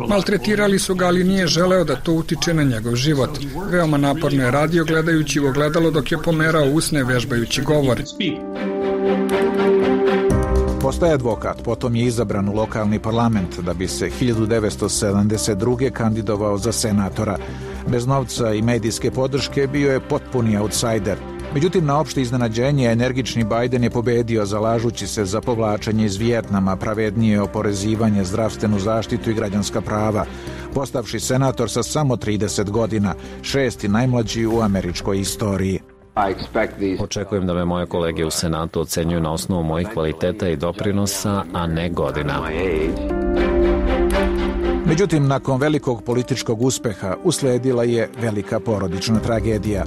Maltretirali su ga, ali nije želeo da to utiče na njegov život. Veoma naporno je radio gledajući u ogledalo dok je pomerao usne vežbajući govor. Postaje advokat, potom je izabran u lokalni parlament da bi se hiljadu devetsto sedamdeset druge. kandidovao za senatora. Bez novca i medijske podrške bio je potpuni outsider. Međutim, na opšte iznenađenje, energični Biden je pobedio zalažući se za povlačenje iz Vijetnama, pravednije oporezivanje, zdravstvenu zaštitu i građanska prava, postavši senator sa samo trideset godina, šesti najmlađi u američkoj istoriji. Očekujem da me moje kolege u Senatu ocenjuju na osnovu mojih kvaliteta i doprinosa, a ne godina. Međutim, nakon velikog političkog uspeha usledila je velika porodična tragedija.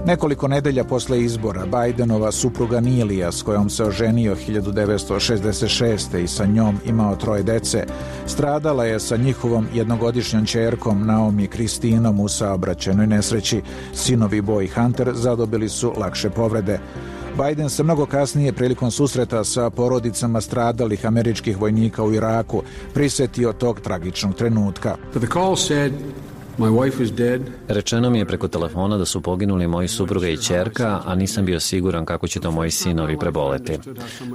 Nekoliko nedelja posle izbora Bidenova supruga Nilija, s kojom se oženio hiljadu devetsto šezdeset šeste. i sa njom imao troje dece, stradala je sa njihovom jednogodišnjom ćerkom Naomi Kristinom u saobraćajnoj nesreći. Sinovi Bo i Hunter zadobili su lakše povrede. Biden se mnogo kasnije prilikom susreta sa porodicama stradalih američkih vojnika u Iraku prisetio tog tragičnog trenutka. Rečeno mi je preko telefona da su poginuli moji supruga i ćerka, a nisam bio siguran kako će to moji sinovi preboleti.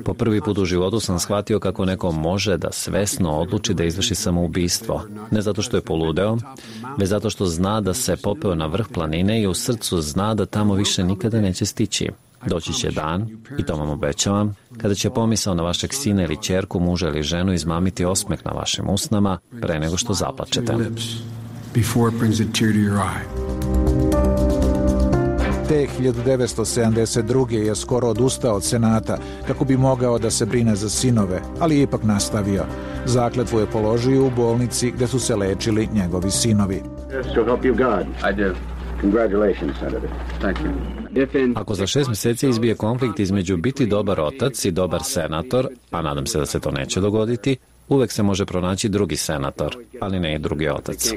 Po prvi put u životu sam shvatio kako neko može da svesno odluči da izvrši samoubistvo. Ne zato što je poludeo, već zato što zna da se popeo na vrh planine i u srcu zna da tamo više nikada neće stići. Doći će dan, i to vam obećavam, kada će pomisao na vašeg sina ili ćerku, muža ili ženu izmamiti osmeh na vašim usnama pre nego što zaplačete. Te hiljadu devetsto sedamdeset druge je skoro odustao od Senata kako bi mogao da se brine za sinove, ali je ipak nastavio. Zakletvu je položio u bolnici gde su se lečili njegovi sinovi. Ako za šest mjeseci izbije konflikt između biti dobar otac i dobar senator, a nadam se da se to neće dogoditi, uvek se može pronaći drugi senator, ali ne i drugi otac.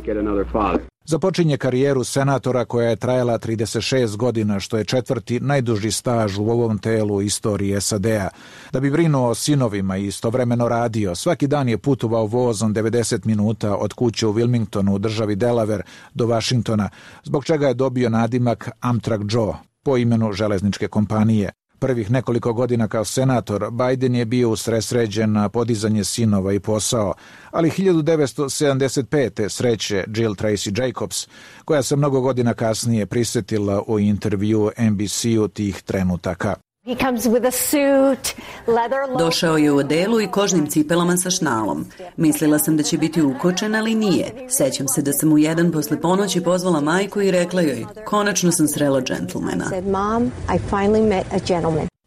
Započinje karijeru senatora koja je trajala trideset šest godina, što je četvrti najduži staž u ovom telu u istoriji S A D-a. Da bi brinuo o sinovima i istovremeno radio, svaki dan je putovao vozom devedeset minuta od kuće u Wilmingtonu u državi Delaware do Washingtona, zbog čega je dobio nadimak Amtrak Joe, po imenu železničke kompanije. Prvih nekoliko godina kao senator, Biden je bio usredsređen na podizanje sinova i posao, ali hiljadu devetsto sedamdeset pete sreće Jill Tracy Jacobs, koja se mnogo godina kasnije prisjetila u intervju N B C-u tih trenutaka. Došao je u odelu i kožnim cipelama sa šnalom. Mislila sam da će biti ukočen, ali nije. Sećam se da sam u jedan posle ponoći pozvala majku i rekla joj, konačno sam srela džentlmena.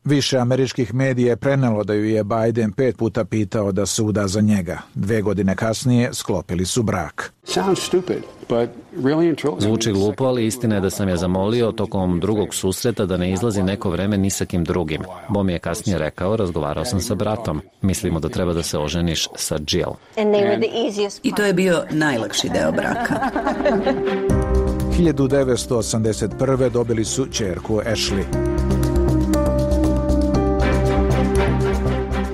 Više američkih medija je prenelo da ju je Biden pet puta pitao da se uda za njega. Dve godine kasnije sklopili su brak. Zvuči glupo, ali istina je da sam je zamolio tokom drugog susreta da ne izlazi neko vreme ni sa kim drugim. Bo mi je kasnije rekao, razgovarao sam sa bratom. Mislimo da treba da se oženiš sa Jill. I to je bio najlakši deo braka. hiljadu devetsto osamdeset prve dobili su ćerku Ashley.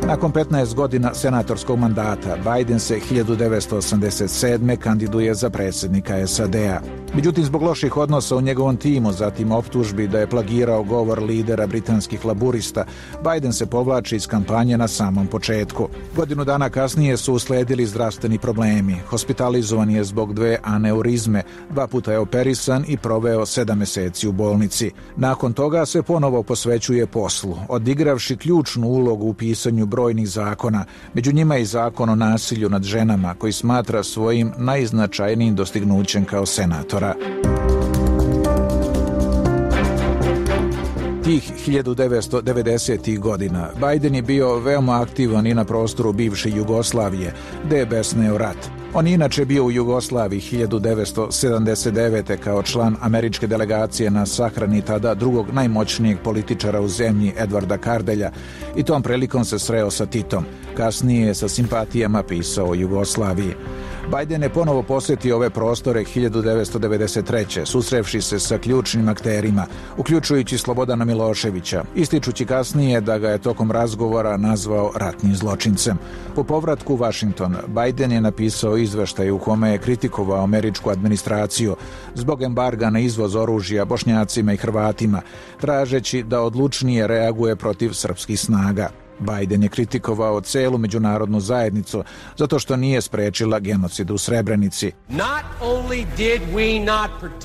Nakon petnaest godina senatorskog mandata, Biden se hiljadu devetsto osamdeset sedme kandiduje za predsjednika S A D-a. Međutim, zbog loših odnosa u njegovom timu, zatim optužbi da je plagirao govor lidera britanskih laburista, Biden se povlači iz kampanje na samom početku. Godinu dana kasnije su usledili zdravstveni problemi. Hospitalizovan je zbog dve aneurizme, dva puta je operisan i proveo sedam meseci u bolnici. Nakon toga se ponovo posvećuje poslu, odigravši ključnu ulogu u pisanju brojnih zakona, među njima i zakon o nasilju nad ženama, koji smatra svojim najznačajnijim dostignućem kao senatora. Tih hiljadu devetsto devedesetih godina Biden je bio veoma aktivan i na prostoru bivše Jugoslavije, gde je besneo rat. On je inače bio u Jugoslaviji hiljadu devetsto sedamdeset devete kao član američke delegacije na sahrani tada drugog najmoćnijeg političara u zemlji Edvarda Kardelja i tom prilikom se sreo sa Titom. Kasnije je sa simpatijama pisao o Jugoslaviji. Biden je ponovo posjetio ove prostore hiljadu devetsto devedeset treće susrevši se sa ključnim akterima, uključujući Slobodana Miloševića, ističući kasnije da ga je tokom razgovora nazvao ratnim zločincem. Po povratku u Washington, Biden je napisao izveštaj u kome je kritikovao američku administraciju zbog embarga na izvoz oružja Bošnjacima i Hrvatima, tražeći da odlučnije reaguje protiv srpskih snaga. Biden je kritikovao celu međunarodnu zajednicu zato što nije sprečila genocid u Srebrenici.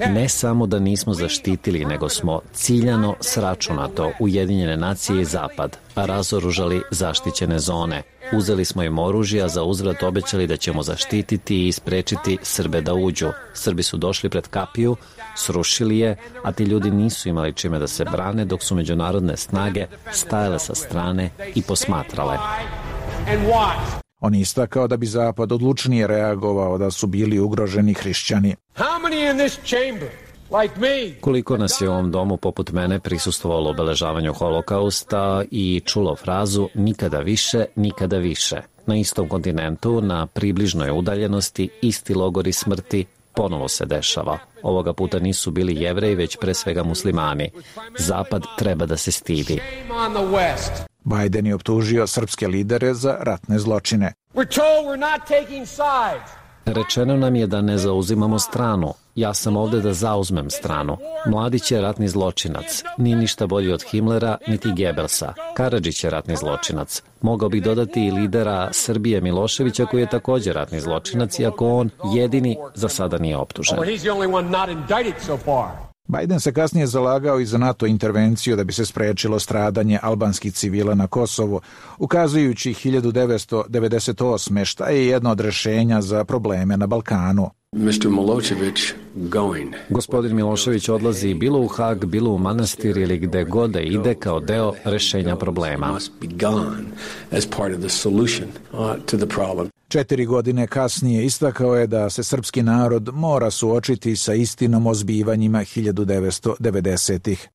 Ne samo da nismo zaštitili, nego smo ciljano sračunato Ujedinjene nacije i Zapad razoružali zaštićene zone. Uzeli smo im oružje, a za uzvrat obećali da ćemo zaštititi i sprečiti Srbe da uđu. Srbi su došli pred kapiju, srušili je, a ti ljudi nisu imali čime da se brane, dok su međunarodne snage stajale sa strane i posmatrale. On je istakao da bi Zapad odlučnije reagovao da su bili ugroženi hrišćani. Koliko nas je u ovom domu poput mene prisustvovalo obeležavanju holokausta i čulo frazu nikada više, nikada više. Na istom kontinentu, na približnoj udaljenosti, isti logori smrti ponovo se dešava. Ovoga puta nisu bili Jevreji, već pre svega muslimani. Zapad treba da se stidi. Biden je optužio srpske lidere za ratne zločine. Rečeno nam je da ne zauzimamo stranu. Ja sam ovde da zauzmem stranu. Mladić je ratni zločinac. Nije ništa bolji od Himlera, niti Gebelsa. Karadžić je ratni zločinac. Mogao bih dodati i lidera Srbije Miloševića koji je također ratni zločinac, iako on jedini za sada nije optužen. Biden se kasnije zalagao i za NATO intervenciju da bi se sprečilo stradanje albanskih civila na Kosovu, ukazujući hiljadu devetsto devedeset osme šta je jedno od rešenja za probleme na Balkanu. mister Milošević going. Gospodin Milošević odlazi bilo u Hag, bilo u manastir ili gde god da ide kao deo rešenja problema. Četiri godine kasnije istakao je da se srpski narod mora suočiti sa istinom o zbivanjima hiljadu devetsto devedesetih.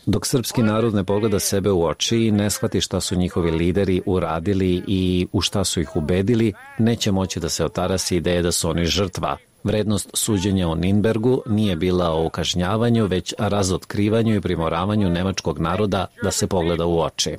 Dok srpski narod ne pogleda sebe u oči i ne shvati šta su njihovi lideri uradili i u šta su ih ubedili, neće moći da se otarasi ideje da su oni žrtva. Vrednost suđenja o Ninbergu nije bila o kažnjavanju, već razotkrivanju i primoravanju nemačkog naroda da se pogleda u oči.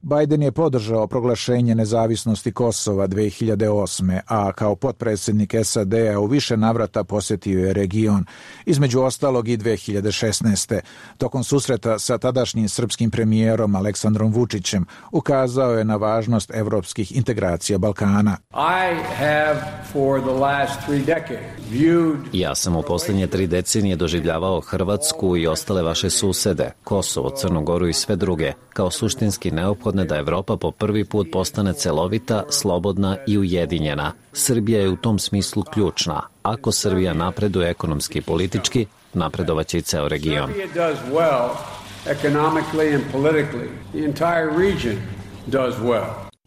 Biden je podržao proglašenje nezavisnosti Kosova dve hiljade osme, a kao potpredsjednik S A D-a u više navrata posjetio je region, između ostalog i dve hiljade šesnaeste. Tokom susreta sa tadašnjim srpskim premijerom Aleksandrom Vučićem ukazao je na važnost evropskih integracija Balkana. Ja sam u posljednje tri decenije doživljavao Hrvatsku i ostale vaše susede, Kosovo, Crnu Goru i sve druge, kao suštinski neophodne da Evropa po prvi put postane celovita, slobodna i ujedinjena. Srbija je u tom smislu ključna. Ako Srbija napreduje ekonomski i politički, napredovaće i ceo region.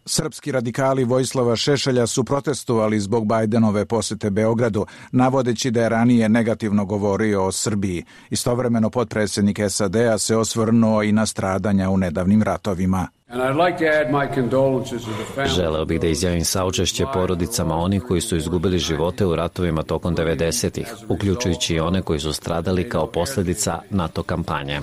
Srpski radikali Vojislava Šešelja su protestovali zbog Bajdenove posete Beogradu, navodeći da je ranije negativno govorio o Srbiji. Istovremeno potpredsjednik S A D-a se osvrnuo i na stradanja u nedavnim ratovima. Želeo bih da izjavim saučešće porodicama onih koji su izgubili živote u ratovima tokom devedesetih, uključujući i one koji su stradali kao posljedica NATO kampanje.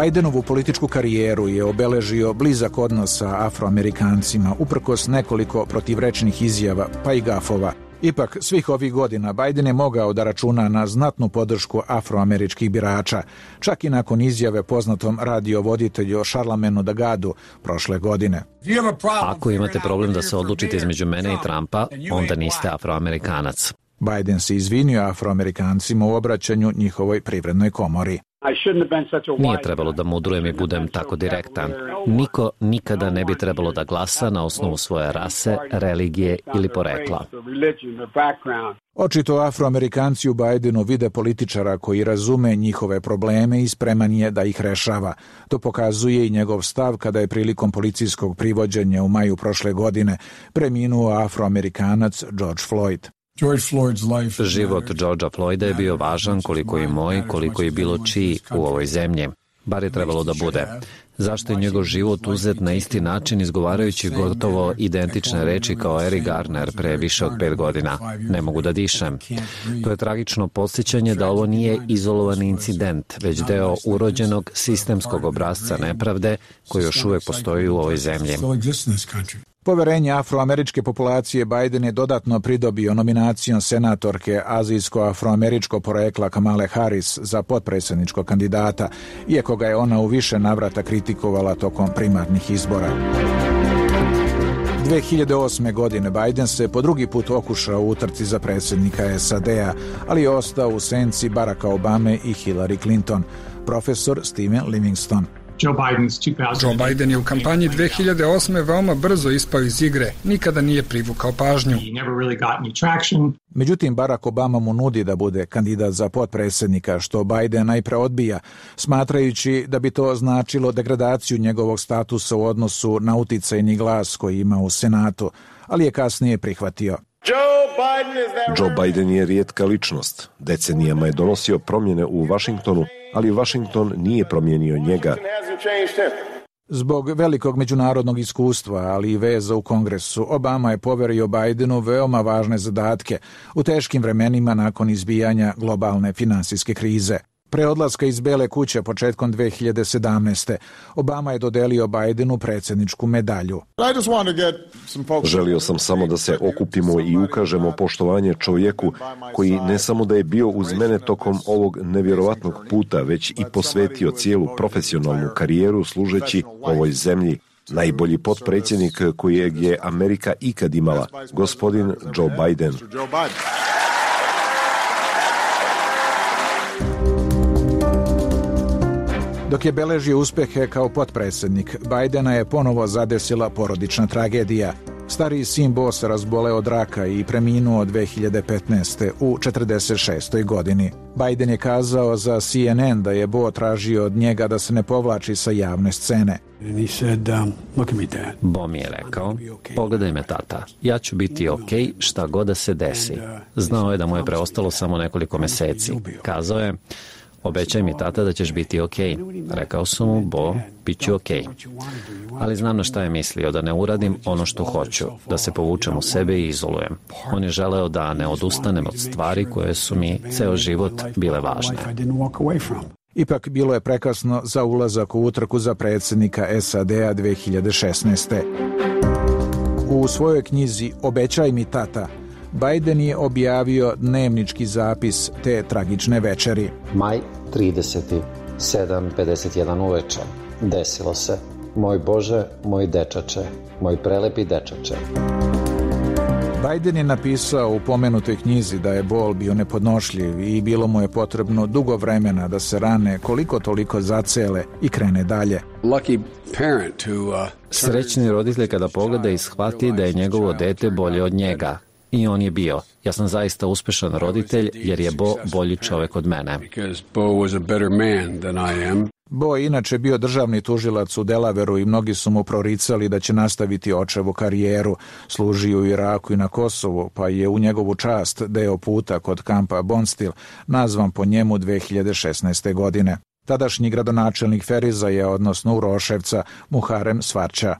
Bidenovu političku karijeru je obeležio blizak odnos sa Afroamerikancima, uprkos nekoliko protivrečnih izjava, pa i gafova. Ipak, svih ovih godina Biden je mogao da računa na znatnu podršku afroameričkih birača, čak i nakon izjave poznatom radiovoditelju Charlamagne'u Dagadu prošle godine. Ako imate problem da se odlučite između mene i Trumpa, onda niste Afroamerikanac. Biden se izvinio Afroamerikancima u obraćanju njihovoj privrednoj komori. Nije trebalo da mudrujem i budem tako direktan. Niko nikada ne bi trebalo da glasa na osnovu svoje rase, religije ili porekla. Očito Afroamerikanci u Bidenu vide političara koji razume njihove probleme i spreman je da ih rešava. To pokazuje i njegov stav kada je prilikom policijskog privođenja u maju prošle godine preminuo Afroamerikanac George Floyd. Život Georgea Floyda je bio važan koliko i moj, koliko i bilo čiji u ovoj zemlji. Bar je trebalo da bude. Zašto je njegov život uzet na isti način izgovarajući gotovo identične reči kao Eric Garner pre više od pet godina? Ne mogu da dišem. To je tragično podsjećanje da ovo nije izolovani incident, već deo urođenog sistemskog obrasca nepravde koji još uvek postoji u ovoj zemlji. Poverenje afroameričke populacije Biden je dodatno pridobio nominacijom senatorke azijsko-afroameričko porekla Kamale Harris za potpredsjedničkog kandidata, iako ga je ona u više navrata kritikovala tokom primarnih izbora. dve hiljade osme. godine Biden se po drugi put okušao u utrci za predsjednika S A D-a, ali je ostao u senci Baracka Obame i Hillary Clinton. Profesor Steven Livingston. Joe Biden je u kampanji dve hiljade osme. veoma brzo ispao iz igre, nikada nije privukao pažnju. Međutim, Barack Obama mu nudi da bude kandidat za potpredsjednika, što Biden najpre odbija, smatrajući da bi to značilo degradaciju njegovog statusa u odnosu na uticajni glas koji ima u Senatu, ali je kasnije prihvatio. Joe Biden je rijetka ličnost. Decenijama je donosio promjene u Vašingtonu, ali Vašington nije promijenio njega. Zbog velikog međunarodnog iskustva, ali i veza u Kongresu, Obama je poverio Bidenu veoma važne zadatke u teškim vremenima nakon izbijanja globalne finansijske krize. Pre odlaska iz Bele kuće početkom dve hiljade sedamnaeste. Obama je dodelio Bidenu predsjedničku medalju. Želio sam samo da se okupimo i ukažemo poštovanje čovjeku koji ne samo da je bio uz mene tokom ovog nevjerovatnog puta, već i posvetio cijelu profesionalnu karijeru služeći ovoj zemlji. Najbolji potpredsjednik kojeg je Amerika ikad imala, gospodin Joe Biden. Dok je beležio uspjehe kao potpredsjednik, Bidena je ponovo zadesila porodična tragedija. Stariji sin Bo se razboleo od raka i preminuo dve hiljade petnaeste. u četrdeset šestoj godini. Biden je kazao za C N N da je Bo tražio od njega da se ne povlači sa javne scene. Bo mi je rekao, pogledaj me tata, ja ću biti ok šta god da se desi. Znao je da mu je preostalo samo nekoliko meseci. Kazao je, obećaj mi tata da ćeš biti ok. Rekao sam mu, Bo, bit ću ok. Ali znam na šta je mislio, da ne uradim ono što hoću, da se povučem u sebe i izolujem. On je želeo da ne odustanem od stvari koje su mi ceo život bile važne. Ipak bilo je prekasno za ulazak u utrku za predsjednika S A D a dve hiljade šesnaeste. U svojoj knjizi Obećaj mi tata, Biden je objavio dnevnički zapis te tragične večeri. Maj trideseti, sedam pedeset jedan uveče. Desilo se. Moj Bože, moj dečače, moj prelepi dečače. Biden je napisao u pomenutoj knjizi da je bol bio nepodnošljiv i bilo mu je potrebno dugo vremena da se rane koliko toliko zacele i krene dalje. Srećni roditelj kada pogleda i shvati da je njegovo dete bolje od njega. I on je bio. Ja sam zaista uspešan roditelj jer je Bo bolji čovjek od mene. Bo je inače bio državni tužilac u Delaveru i mnogi su mu proricali da će nastaviti očevu karijeru. Služio u Iraku i na Kosovu, pa je u njegovu čast deo puta kod kampa Bondsteel nazvan po njemu dve hiljade šesnaeste. godine. Tadašnji gradonačelnik Ferizaja, odnosno Uroševca, Muharem Svarća.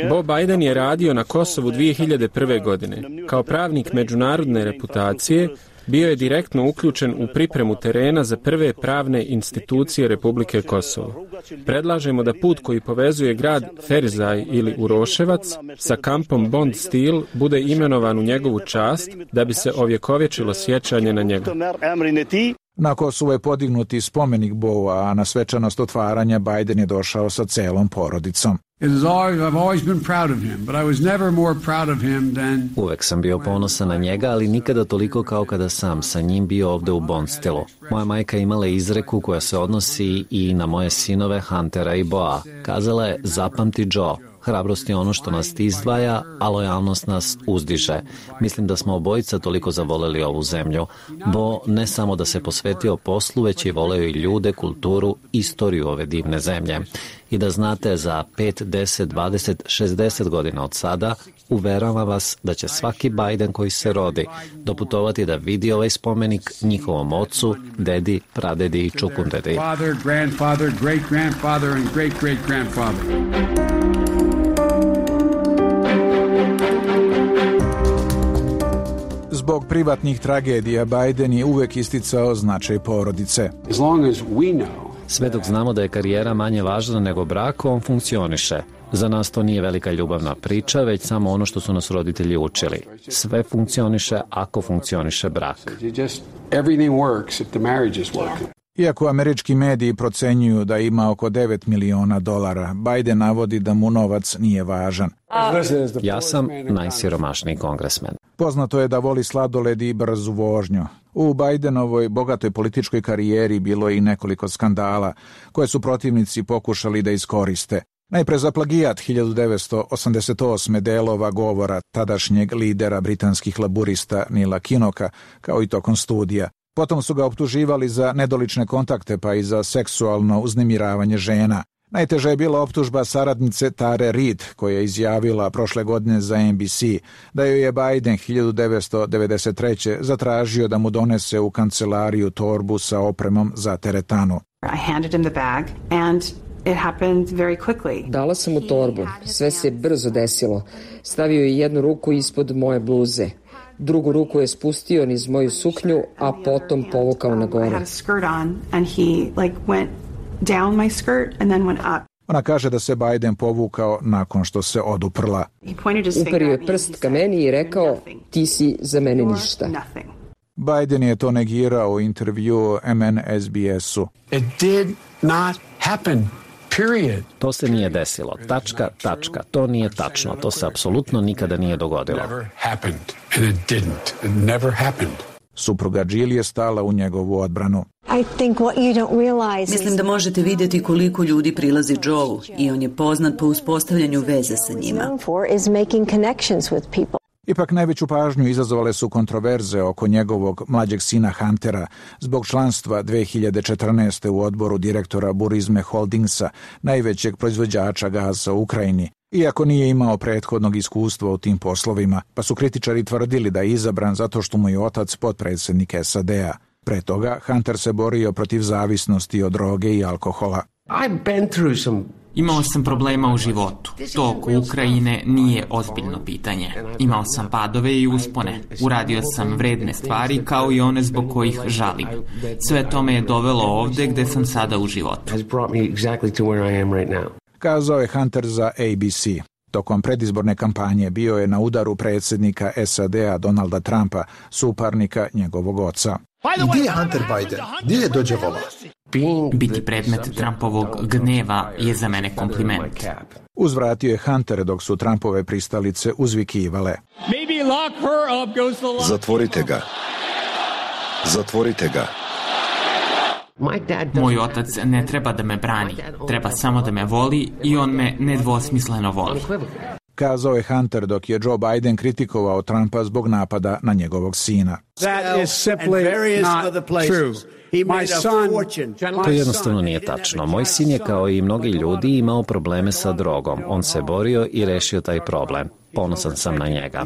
Bo Biden je radio na Kosovu dvije hiljade prve. godine. Kao pravnik međunarodne reputacije, bio je direktno uključen u pripremu terena za prve pravne institucije Republike Kosovo. Predlažemo da put koji povezuje grad Ferizaj ili Uroševac sa kampom Bondsteel bude imenovan u njegovu čast da bi se ovjekovječilo sjećanje na njega. Na Kosovu je podignut i spomenik Boa, a na svečanost otvaranja Biden je došao sa celom porodicom. Uvek sam bio ponosan na njega, ali nikada toliko kao kada sam sa njim bio ovde u Bondsteelu. Moja majka imala izreku koja se odnosi i na moje sinove Huntera i Boa. Kazala je, zapamti Joe, hrabrost je ono što nas izdvaja, a lojalnost nas uzdiže. Mislim da smo obojica toliko zavoleli ovu zemlju. Bo ne samo da se posvetio poslu, već i voleo i ljude, kulturu, istoriju ove divne zemlje. I da znate, za pet, deset, dvadeset, šezdeset godina od sada, uveravam vas da će svaki Biden koji se rodi doputovati da vidi ovaj spomenik njihovom ocu, dedi, pradedi i čukundedi. Father, grandfather, great grandfather and great great grandfather. Zbog privatnih tragedija Biden je uvek isticao značaj porodice. Sve dok znamo da je karijera manje važna nego brak, on funkcioniše. Za nas to nije velika ljubavna priča, već samo ono što su nas roditelji učili. Sve funkcioniše ako funkcioniše brak. Iako američki mediji procenjuju da ima oko devet miliona dolara, Biden navodi da mu novac nije važan. Ja sam najsiromašniji kongresmen. Poznato je da voli sladoled i brzu vožnju. U Bidenovoj bogatoj političkoj karijeri bilo je i nekoliko skandala koje su protivnici pokušali da iskoriste. Najpre za plagijat hiljadu devetsto osamdeset osme. delova govora tadašnjeg lidera britanskih laburista Nila Kinoka, kao i tokom studija. Potom su ga optuživali za nedolične kontakte pa i za seksualno uznemiravanje žena. Najteža je bila optužba saradnice Tare Reid, koja je izjavila prošle godine za N B C da joj je Biden hiljadu devetsto devedeset treće. zatražio da mu donese u kancelariju torbu sa opremom za teretanu. I handed him the bag and it happened very quickly. Dala sam mu torbu. Sve se brzo desilo. Stavio je jednu ruku ispod moje bluze. Drugu ruku je spustio niz moju suknju, a potom povukao na gore. Ona kaže da se Biden povukao nakon što se oduprla. Uperio je prst ka meni i rekao, ti si za mene ništa. Biden je to negirao u intervjuu M N S B S-u. It did not happen. Period. To se nije desilo. Tačka, tačka. To nije tačno. To se apsolutno nikada nije dogodilo. Never happened. And it didn't. It never happened. Supruga Jill je stala u njegovu odbranu. Mislim da možete vidjeti koliko ljudi prilazi Joeu i on je poznat po uspostavljanju veze sa njima. Ipak najveću pažnju izazvale su kontroverze oko njegovog mlađeg sina Huntera zbog članstva dve hiljade četrnaeste. u odboru direktora Burisma Holdingsa, najvećeg proizvođača gaza u Ukrajini, iako nije imao prethodnog iskustva u tim poslovima, pa su kritičari tvrdili da je izabran zato što mu je otac potpredsjednik S A D-a. Pre toga Hunter se borio protiv zavisnosti od droge i alkohola. I've been through some Imao sam problema u životu. To oko Ukrajine nije ozbiljno pitanje. Imao sam padove i uspone. Uradio sam vredne stvari kao i one zbog kojih žalim. Sve to me je dovelo ovde gde sam sada u životu. Kazao je Hunter za A B C. Tokom predizborne kampanje bio je na udaru predsjednika S A D-a Donalda Trumpa, suparnika njegovog oca. Gdje je Hunter Biden? Gdje je dođe vola? Biti predmet Trumpovog gneva je za mene kompliment. Uzvratio je Hunter dok su Trumpove pristalice uzvikivale. Zatvorite ga. Zatvorite ga. Moj otac ne treba da me brani, treba samo da me voli i on me nedvosmisleno voli. Kazao je Hunter dok je Joe Biden kritikovao Trumpa zbog napada na njegovog sina. To jednostavno nije tačno. Moj sin je kao i mnogi ljudi imao probleme sa drogom. On se borio i rešio taj problem. Ponosan sam na njega.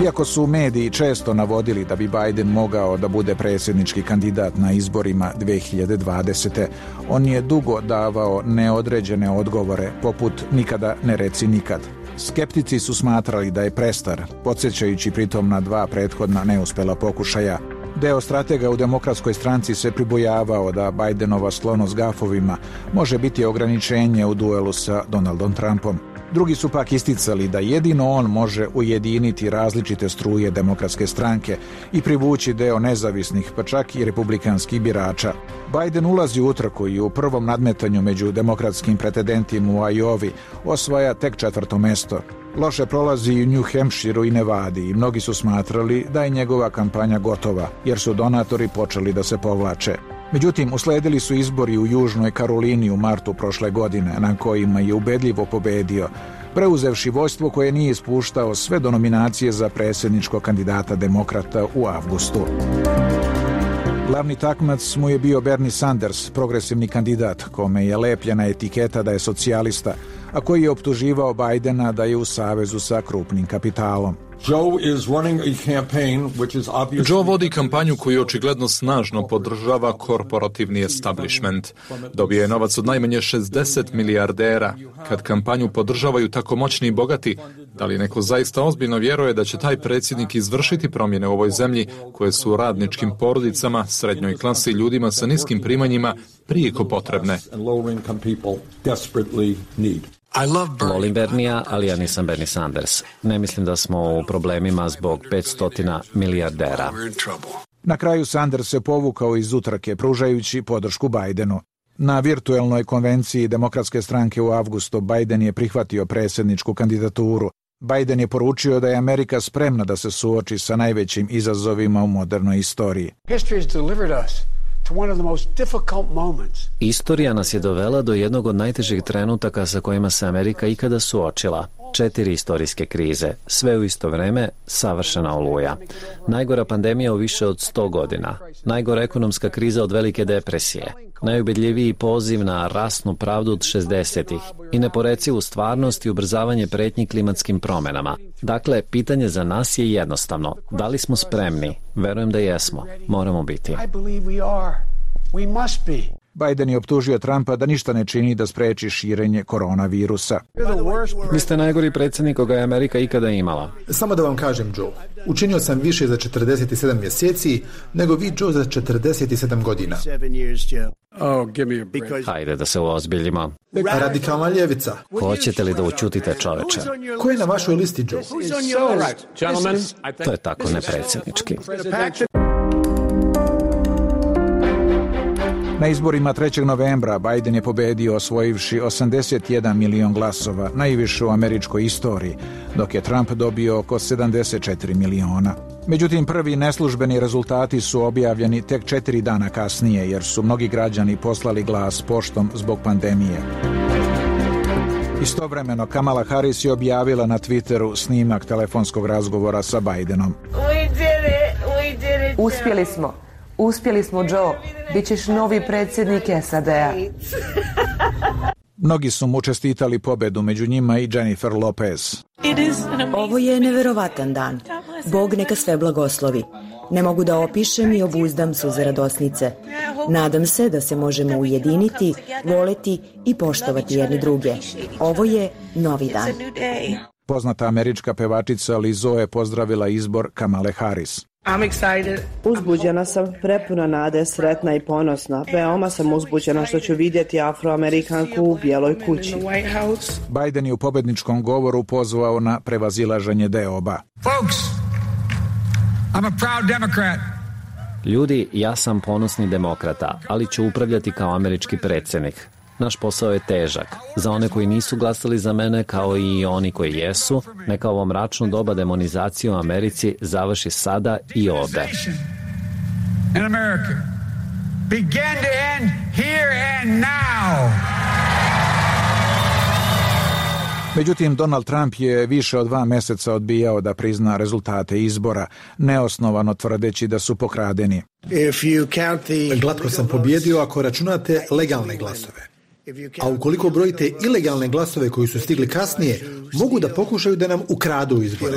Iako su mediji često navodili da bi Biden mogao da bude predsjednički kandidat na izborima dve hiljade dvadesete. on je dugo davao neodređene odgovore, poput nikada ne reci nikad. Skeptici su smatrali da je prestar, podsjećajući pritom na dva prethodna neuspela pokušaja. Deo stratega u Demokratskoj stranci se pribojavao da Bidenova sklonost gafovima može biti ograničenje u duelu sa Donaldom Trumpom. Drugi su pak isticali da jedino on može ujediniti različite struje Demokratske stranke i privući deo nezavisnih, pa čak i republikanskih birača. Biden ulazi u utrku i u prvom nadmetanju među demokratskim pretendentima u Iowi osvaja tek četvrto mesto. Loše prolazi i u New Hampshireu i Nevadi i mnogi su smatrali da je njegova kampanja gotova, jer su donatori počeli da se povlače. Međutim, usledili su izbori u Južnoj Karolini u martu prošle godine, na kojima je ubedljivo pobedio, preuzevši vođstvo koje nije ispuštao sve do nominacije za predsjedničkog kandidata demokrata u avgustu. Glavni takmac mu je bio Bernie Sanders, progresivni kandidat, kome je lepljena etiketa da je socijalista, a koji je optuživao Bidena da je u savezu sa krupnim kapitalom. Joe vodi kampanju koju očigledno snažno podržava korporativni establishment. Dobije je novac od najmanje šezdeset milijardera. Kad kampanju podržavaju tako moćni i bogati, da li neko zaista ozbiljno vjeruje da će taj predsjednik izvršiti promjene u ovoj zemlji koje su radničkim porodicama, srednjoj klasi i ljudima sa niskim primanjima prijeko potrebne? Volim Bernija, ali ja nisam Bernie Sanders. Ne mislim da smo u problemima zbog petsto milijardera. Na kraju Sanders se povukao iz utrke, pružajući podršku Bidenu. Na virtuelnoj konvenciji Demokratske stranke u avgustu Biden je prihvatio predsjedničku kandidaturu. Biden je poručio da je Amerika spremna da se suoči sa najvećim izazovima u modernoj istoriji. Istorija nas je dovela do jednog od najtežih trenutaka sa kojima se Amerika ikada suočila. Četiri istorijske krize, sve u isto vreme, savršena oluja. Najgora pandemija u više od sto godina. Najgora ekonomska kriza od velike depresije. Najubedljiviji poziv na rasnu pravdu od šezdesetih i neporecivu stvarnost i ubrzavanje pretnji klimatskim promjenama. Dakle, pitanje za nas je jednostavno. Da li smo spremni? Verujem da jesmo. Moramo biti. Biden je optužio Trumpa da ništa ne čini da spreči širenje koronavirusa. Vi ste najgori predsjednik koga je Amerika ikada imala. Samo da vam kažem, Joe, učinio sam više za četrdeset sedam mjeseci nego vi, Joe, za četrdeset sedam godina. Hajde da se uozbiljimo. Radikalna ljevica. Hoćete li da učutite, čoveče? Ko je na vašoj listi, Joe? To je tako nepredsjednički. Na izborima trećeg novembra Biden je pobedio osvojivši osamdeset jedan milion glasova, najviše u američkoj istoriji, dok je Trump dobio oko sedamdeset četiri miliona. Međutim, prvi neslužbeni rezultati su objavljeni tek četiri dana kasnije, jer su mnogi građani poslali glas poštom zbog pandemije. Istovremeno, Kamala Harris je objavila na Twitteru snimak telefonskog razgovora sa Bidenom. Uspjeli smo. Uspjeli smo, Joe. Bićeš novi predsjednik S A D-a. Mnogi su mu čestitali pobedu, među njima i Jennifer Lopez. Ovo je neverovatan dan. Bog neka sve blagoslovi. Ne mogu da opišem i obuzdam suze radosnice. Nadam se da se možemo ujediniti, voleti i poštovati jedni druge. Ovo je novi dan. Poznata američka pevačica Lizzo je pozdravila izbor Kamale Harris. Uzbuđena sam, prepuna nade, sretna i ponosna. Veoma sam uzbuđena što ću vidjeti Afroamerikanku u Bijeloj kući. Biden je u pobedničkom govoru pozvao na prevazilaženje deoba. Folks, I'm a proud Democrat. Ljudi, ja sam ponosni demokrata, ali ću upravljati kao američki predsjednik. Naš posao je težak. Za one koji nisu glasali za mene, kao i oni koji jesu, neka ovo mračno doba demonizacije u Americi završi sada i ovde. In America. Begin to end here and now. Međutim, Donald Trump je više od dva meseca odbijao da prizna rezultate izbora, neosnovano tvrdeći da su pokradeni. Glatko sam pobjedio ako računate legalne glasove. A ukoliko brojite ilegalne glasove koji su stigli kasnije, mogu da pokušaju da nam ukradu izbore.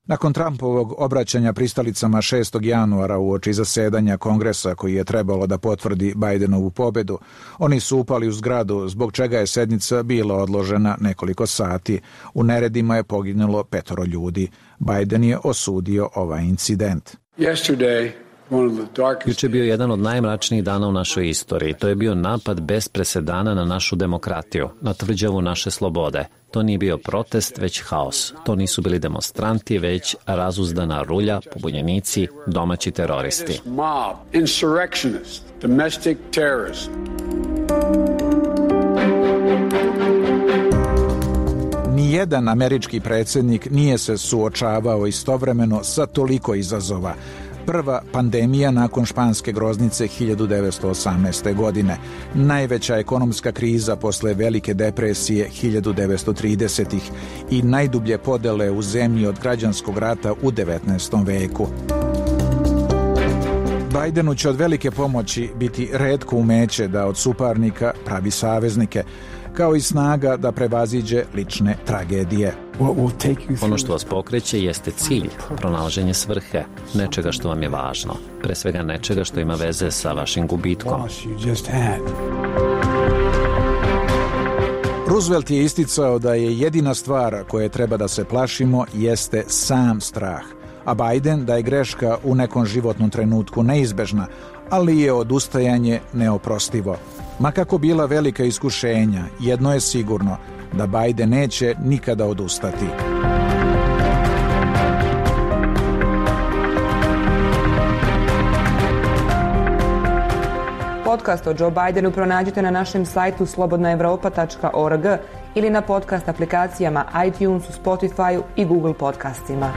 Nakon Trumpovog obraćanja pristalicama šestog januara uoči zasedanja Kongresa koji je trebalo da potvrdi Bidenovu pobedu, oni su upali u zgradu, zbog čega je sednica bila odložena nekoliko sati. U neredima je poginulo petoro ljudi. Biden je osudio ovaj incident. Yesterday, Juče je bio jedan od najmračnijih dana u našoj istoriji. To je bio napad bez presedana na našu demokratiju, na tvrđavu naše slobode. To nije bio protest, već haos. To nisu bili demonstranti, već razuzdana rulja, pobunjenici, domaći teroristi. Nijedan američki predsjednik nije se suočavao istovremeno sa toliko izazova. Prva pandemija nakon španske groznice hiljadu devetsto osamnaeste. godine, najveća ekonomska kriza posle Velike depresije hiljadu devetsto tridesetih. i najdublje podele u zemlji od građanskog rata u devetnaestom veku. Bidenu će od velike pomoći biti retko umeće da od suparnika pravi saveznike, kao i snaga da prevaziđe lične tragedije. Ono što vas pokreće jeste cilj, pronalaženje svrhe, nečega što vam je važno, pre svega nečega što ima veze sa vašim gubitkom. Roosevelt je isticao da je jedina stvar koje treba da se plašimo jeste sam strah, a Biden da je greška u nekom životnom trenutku neizbežna, ali je odustajanje neoprostivo. Ma kako bila velika iskušenja, jedno je sigurno, da Biden neće nikada odustati. Podcast o Joe Bidenu pronađite na našem sajtu slobodna evropa tačka org ili na podcast aplikacijama iTunesu, Spotifyu i Google podcastima.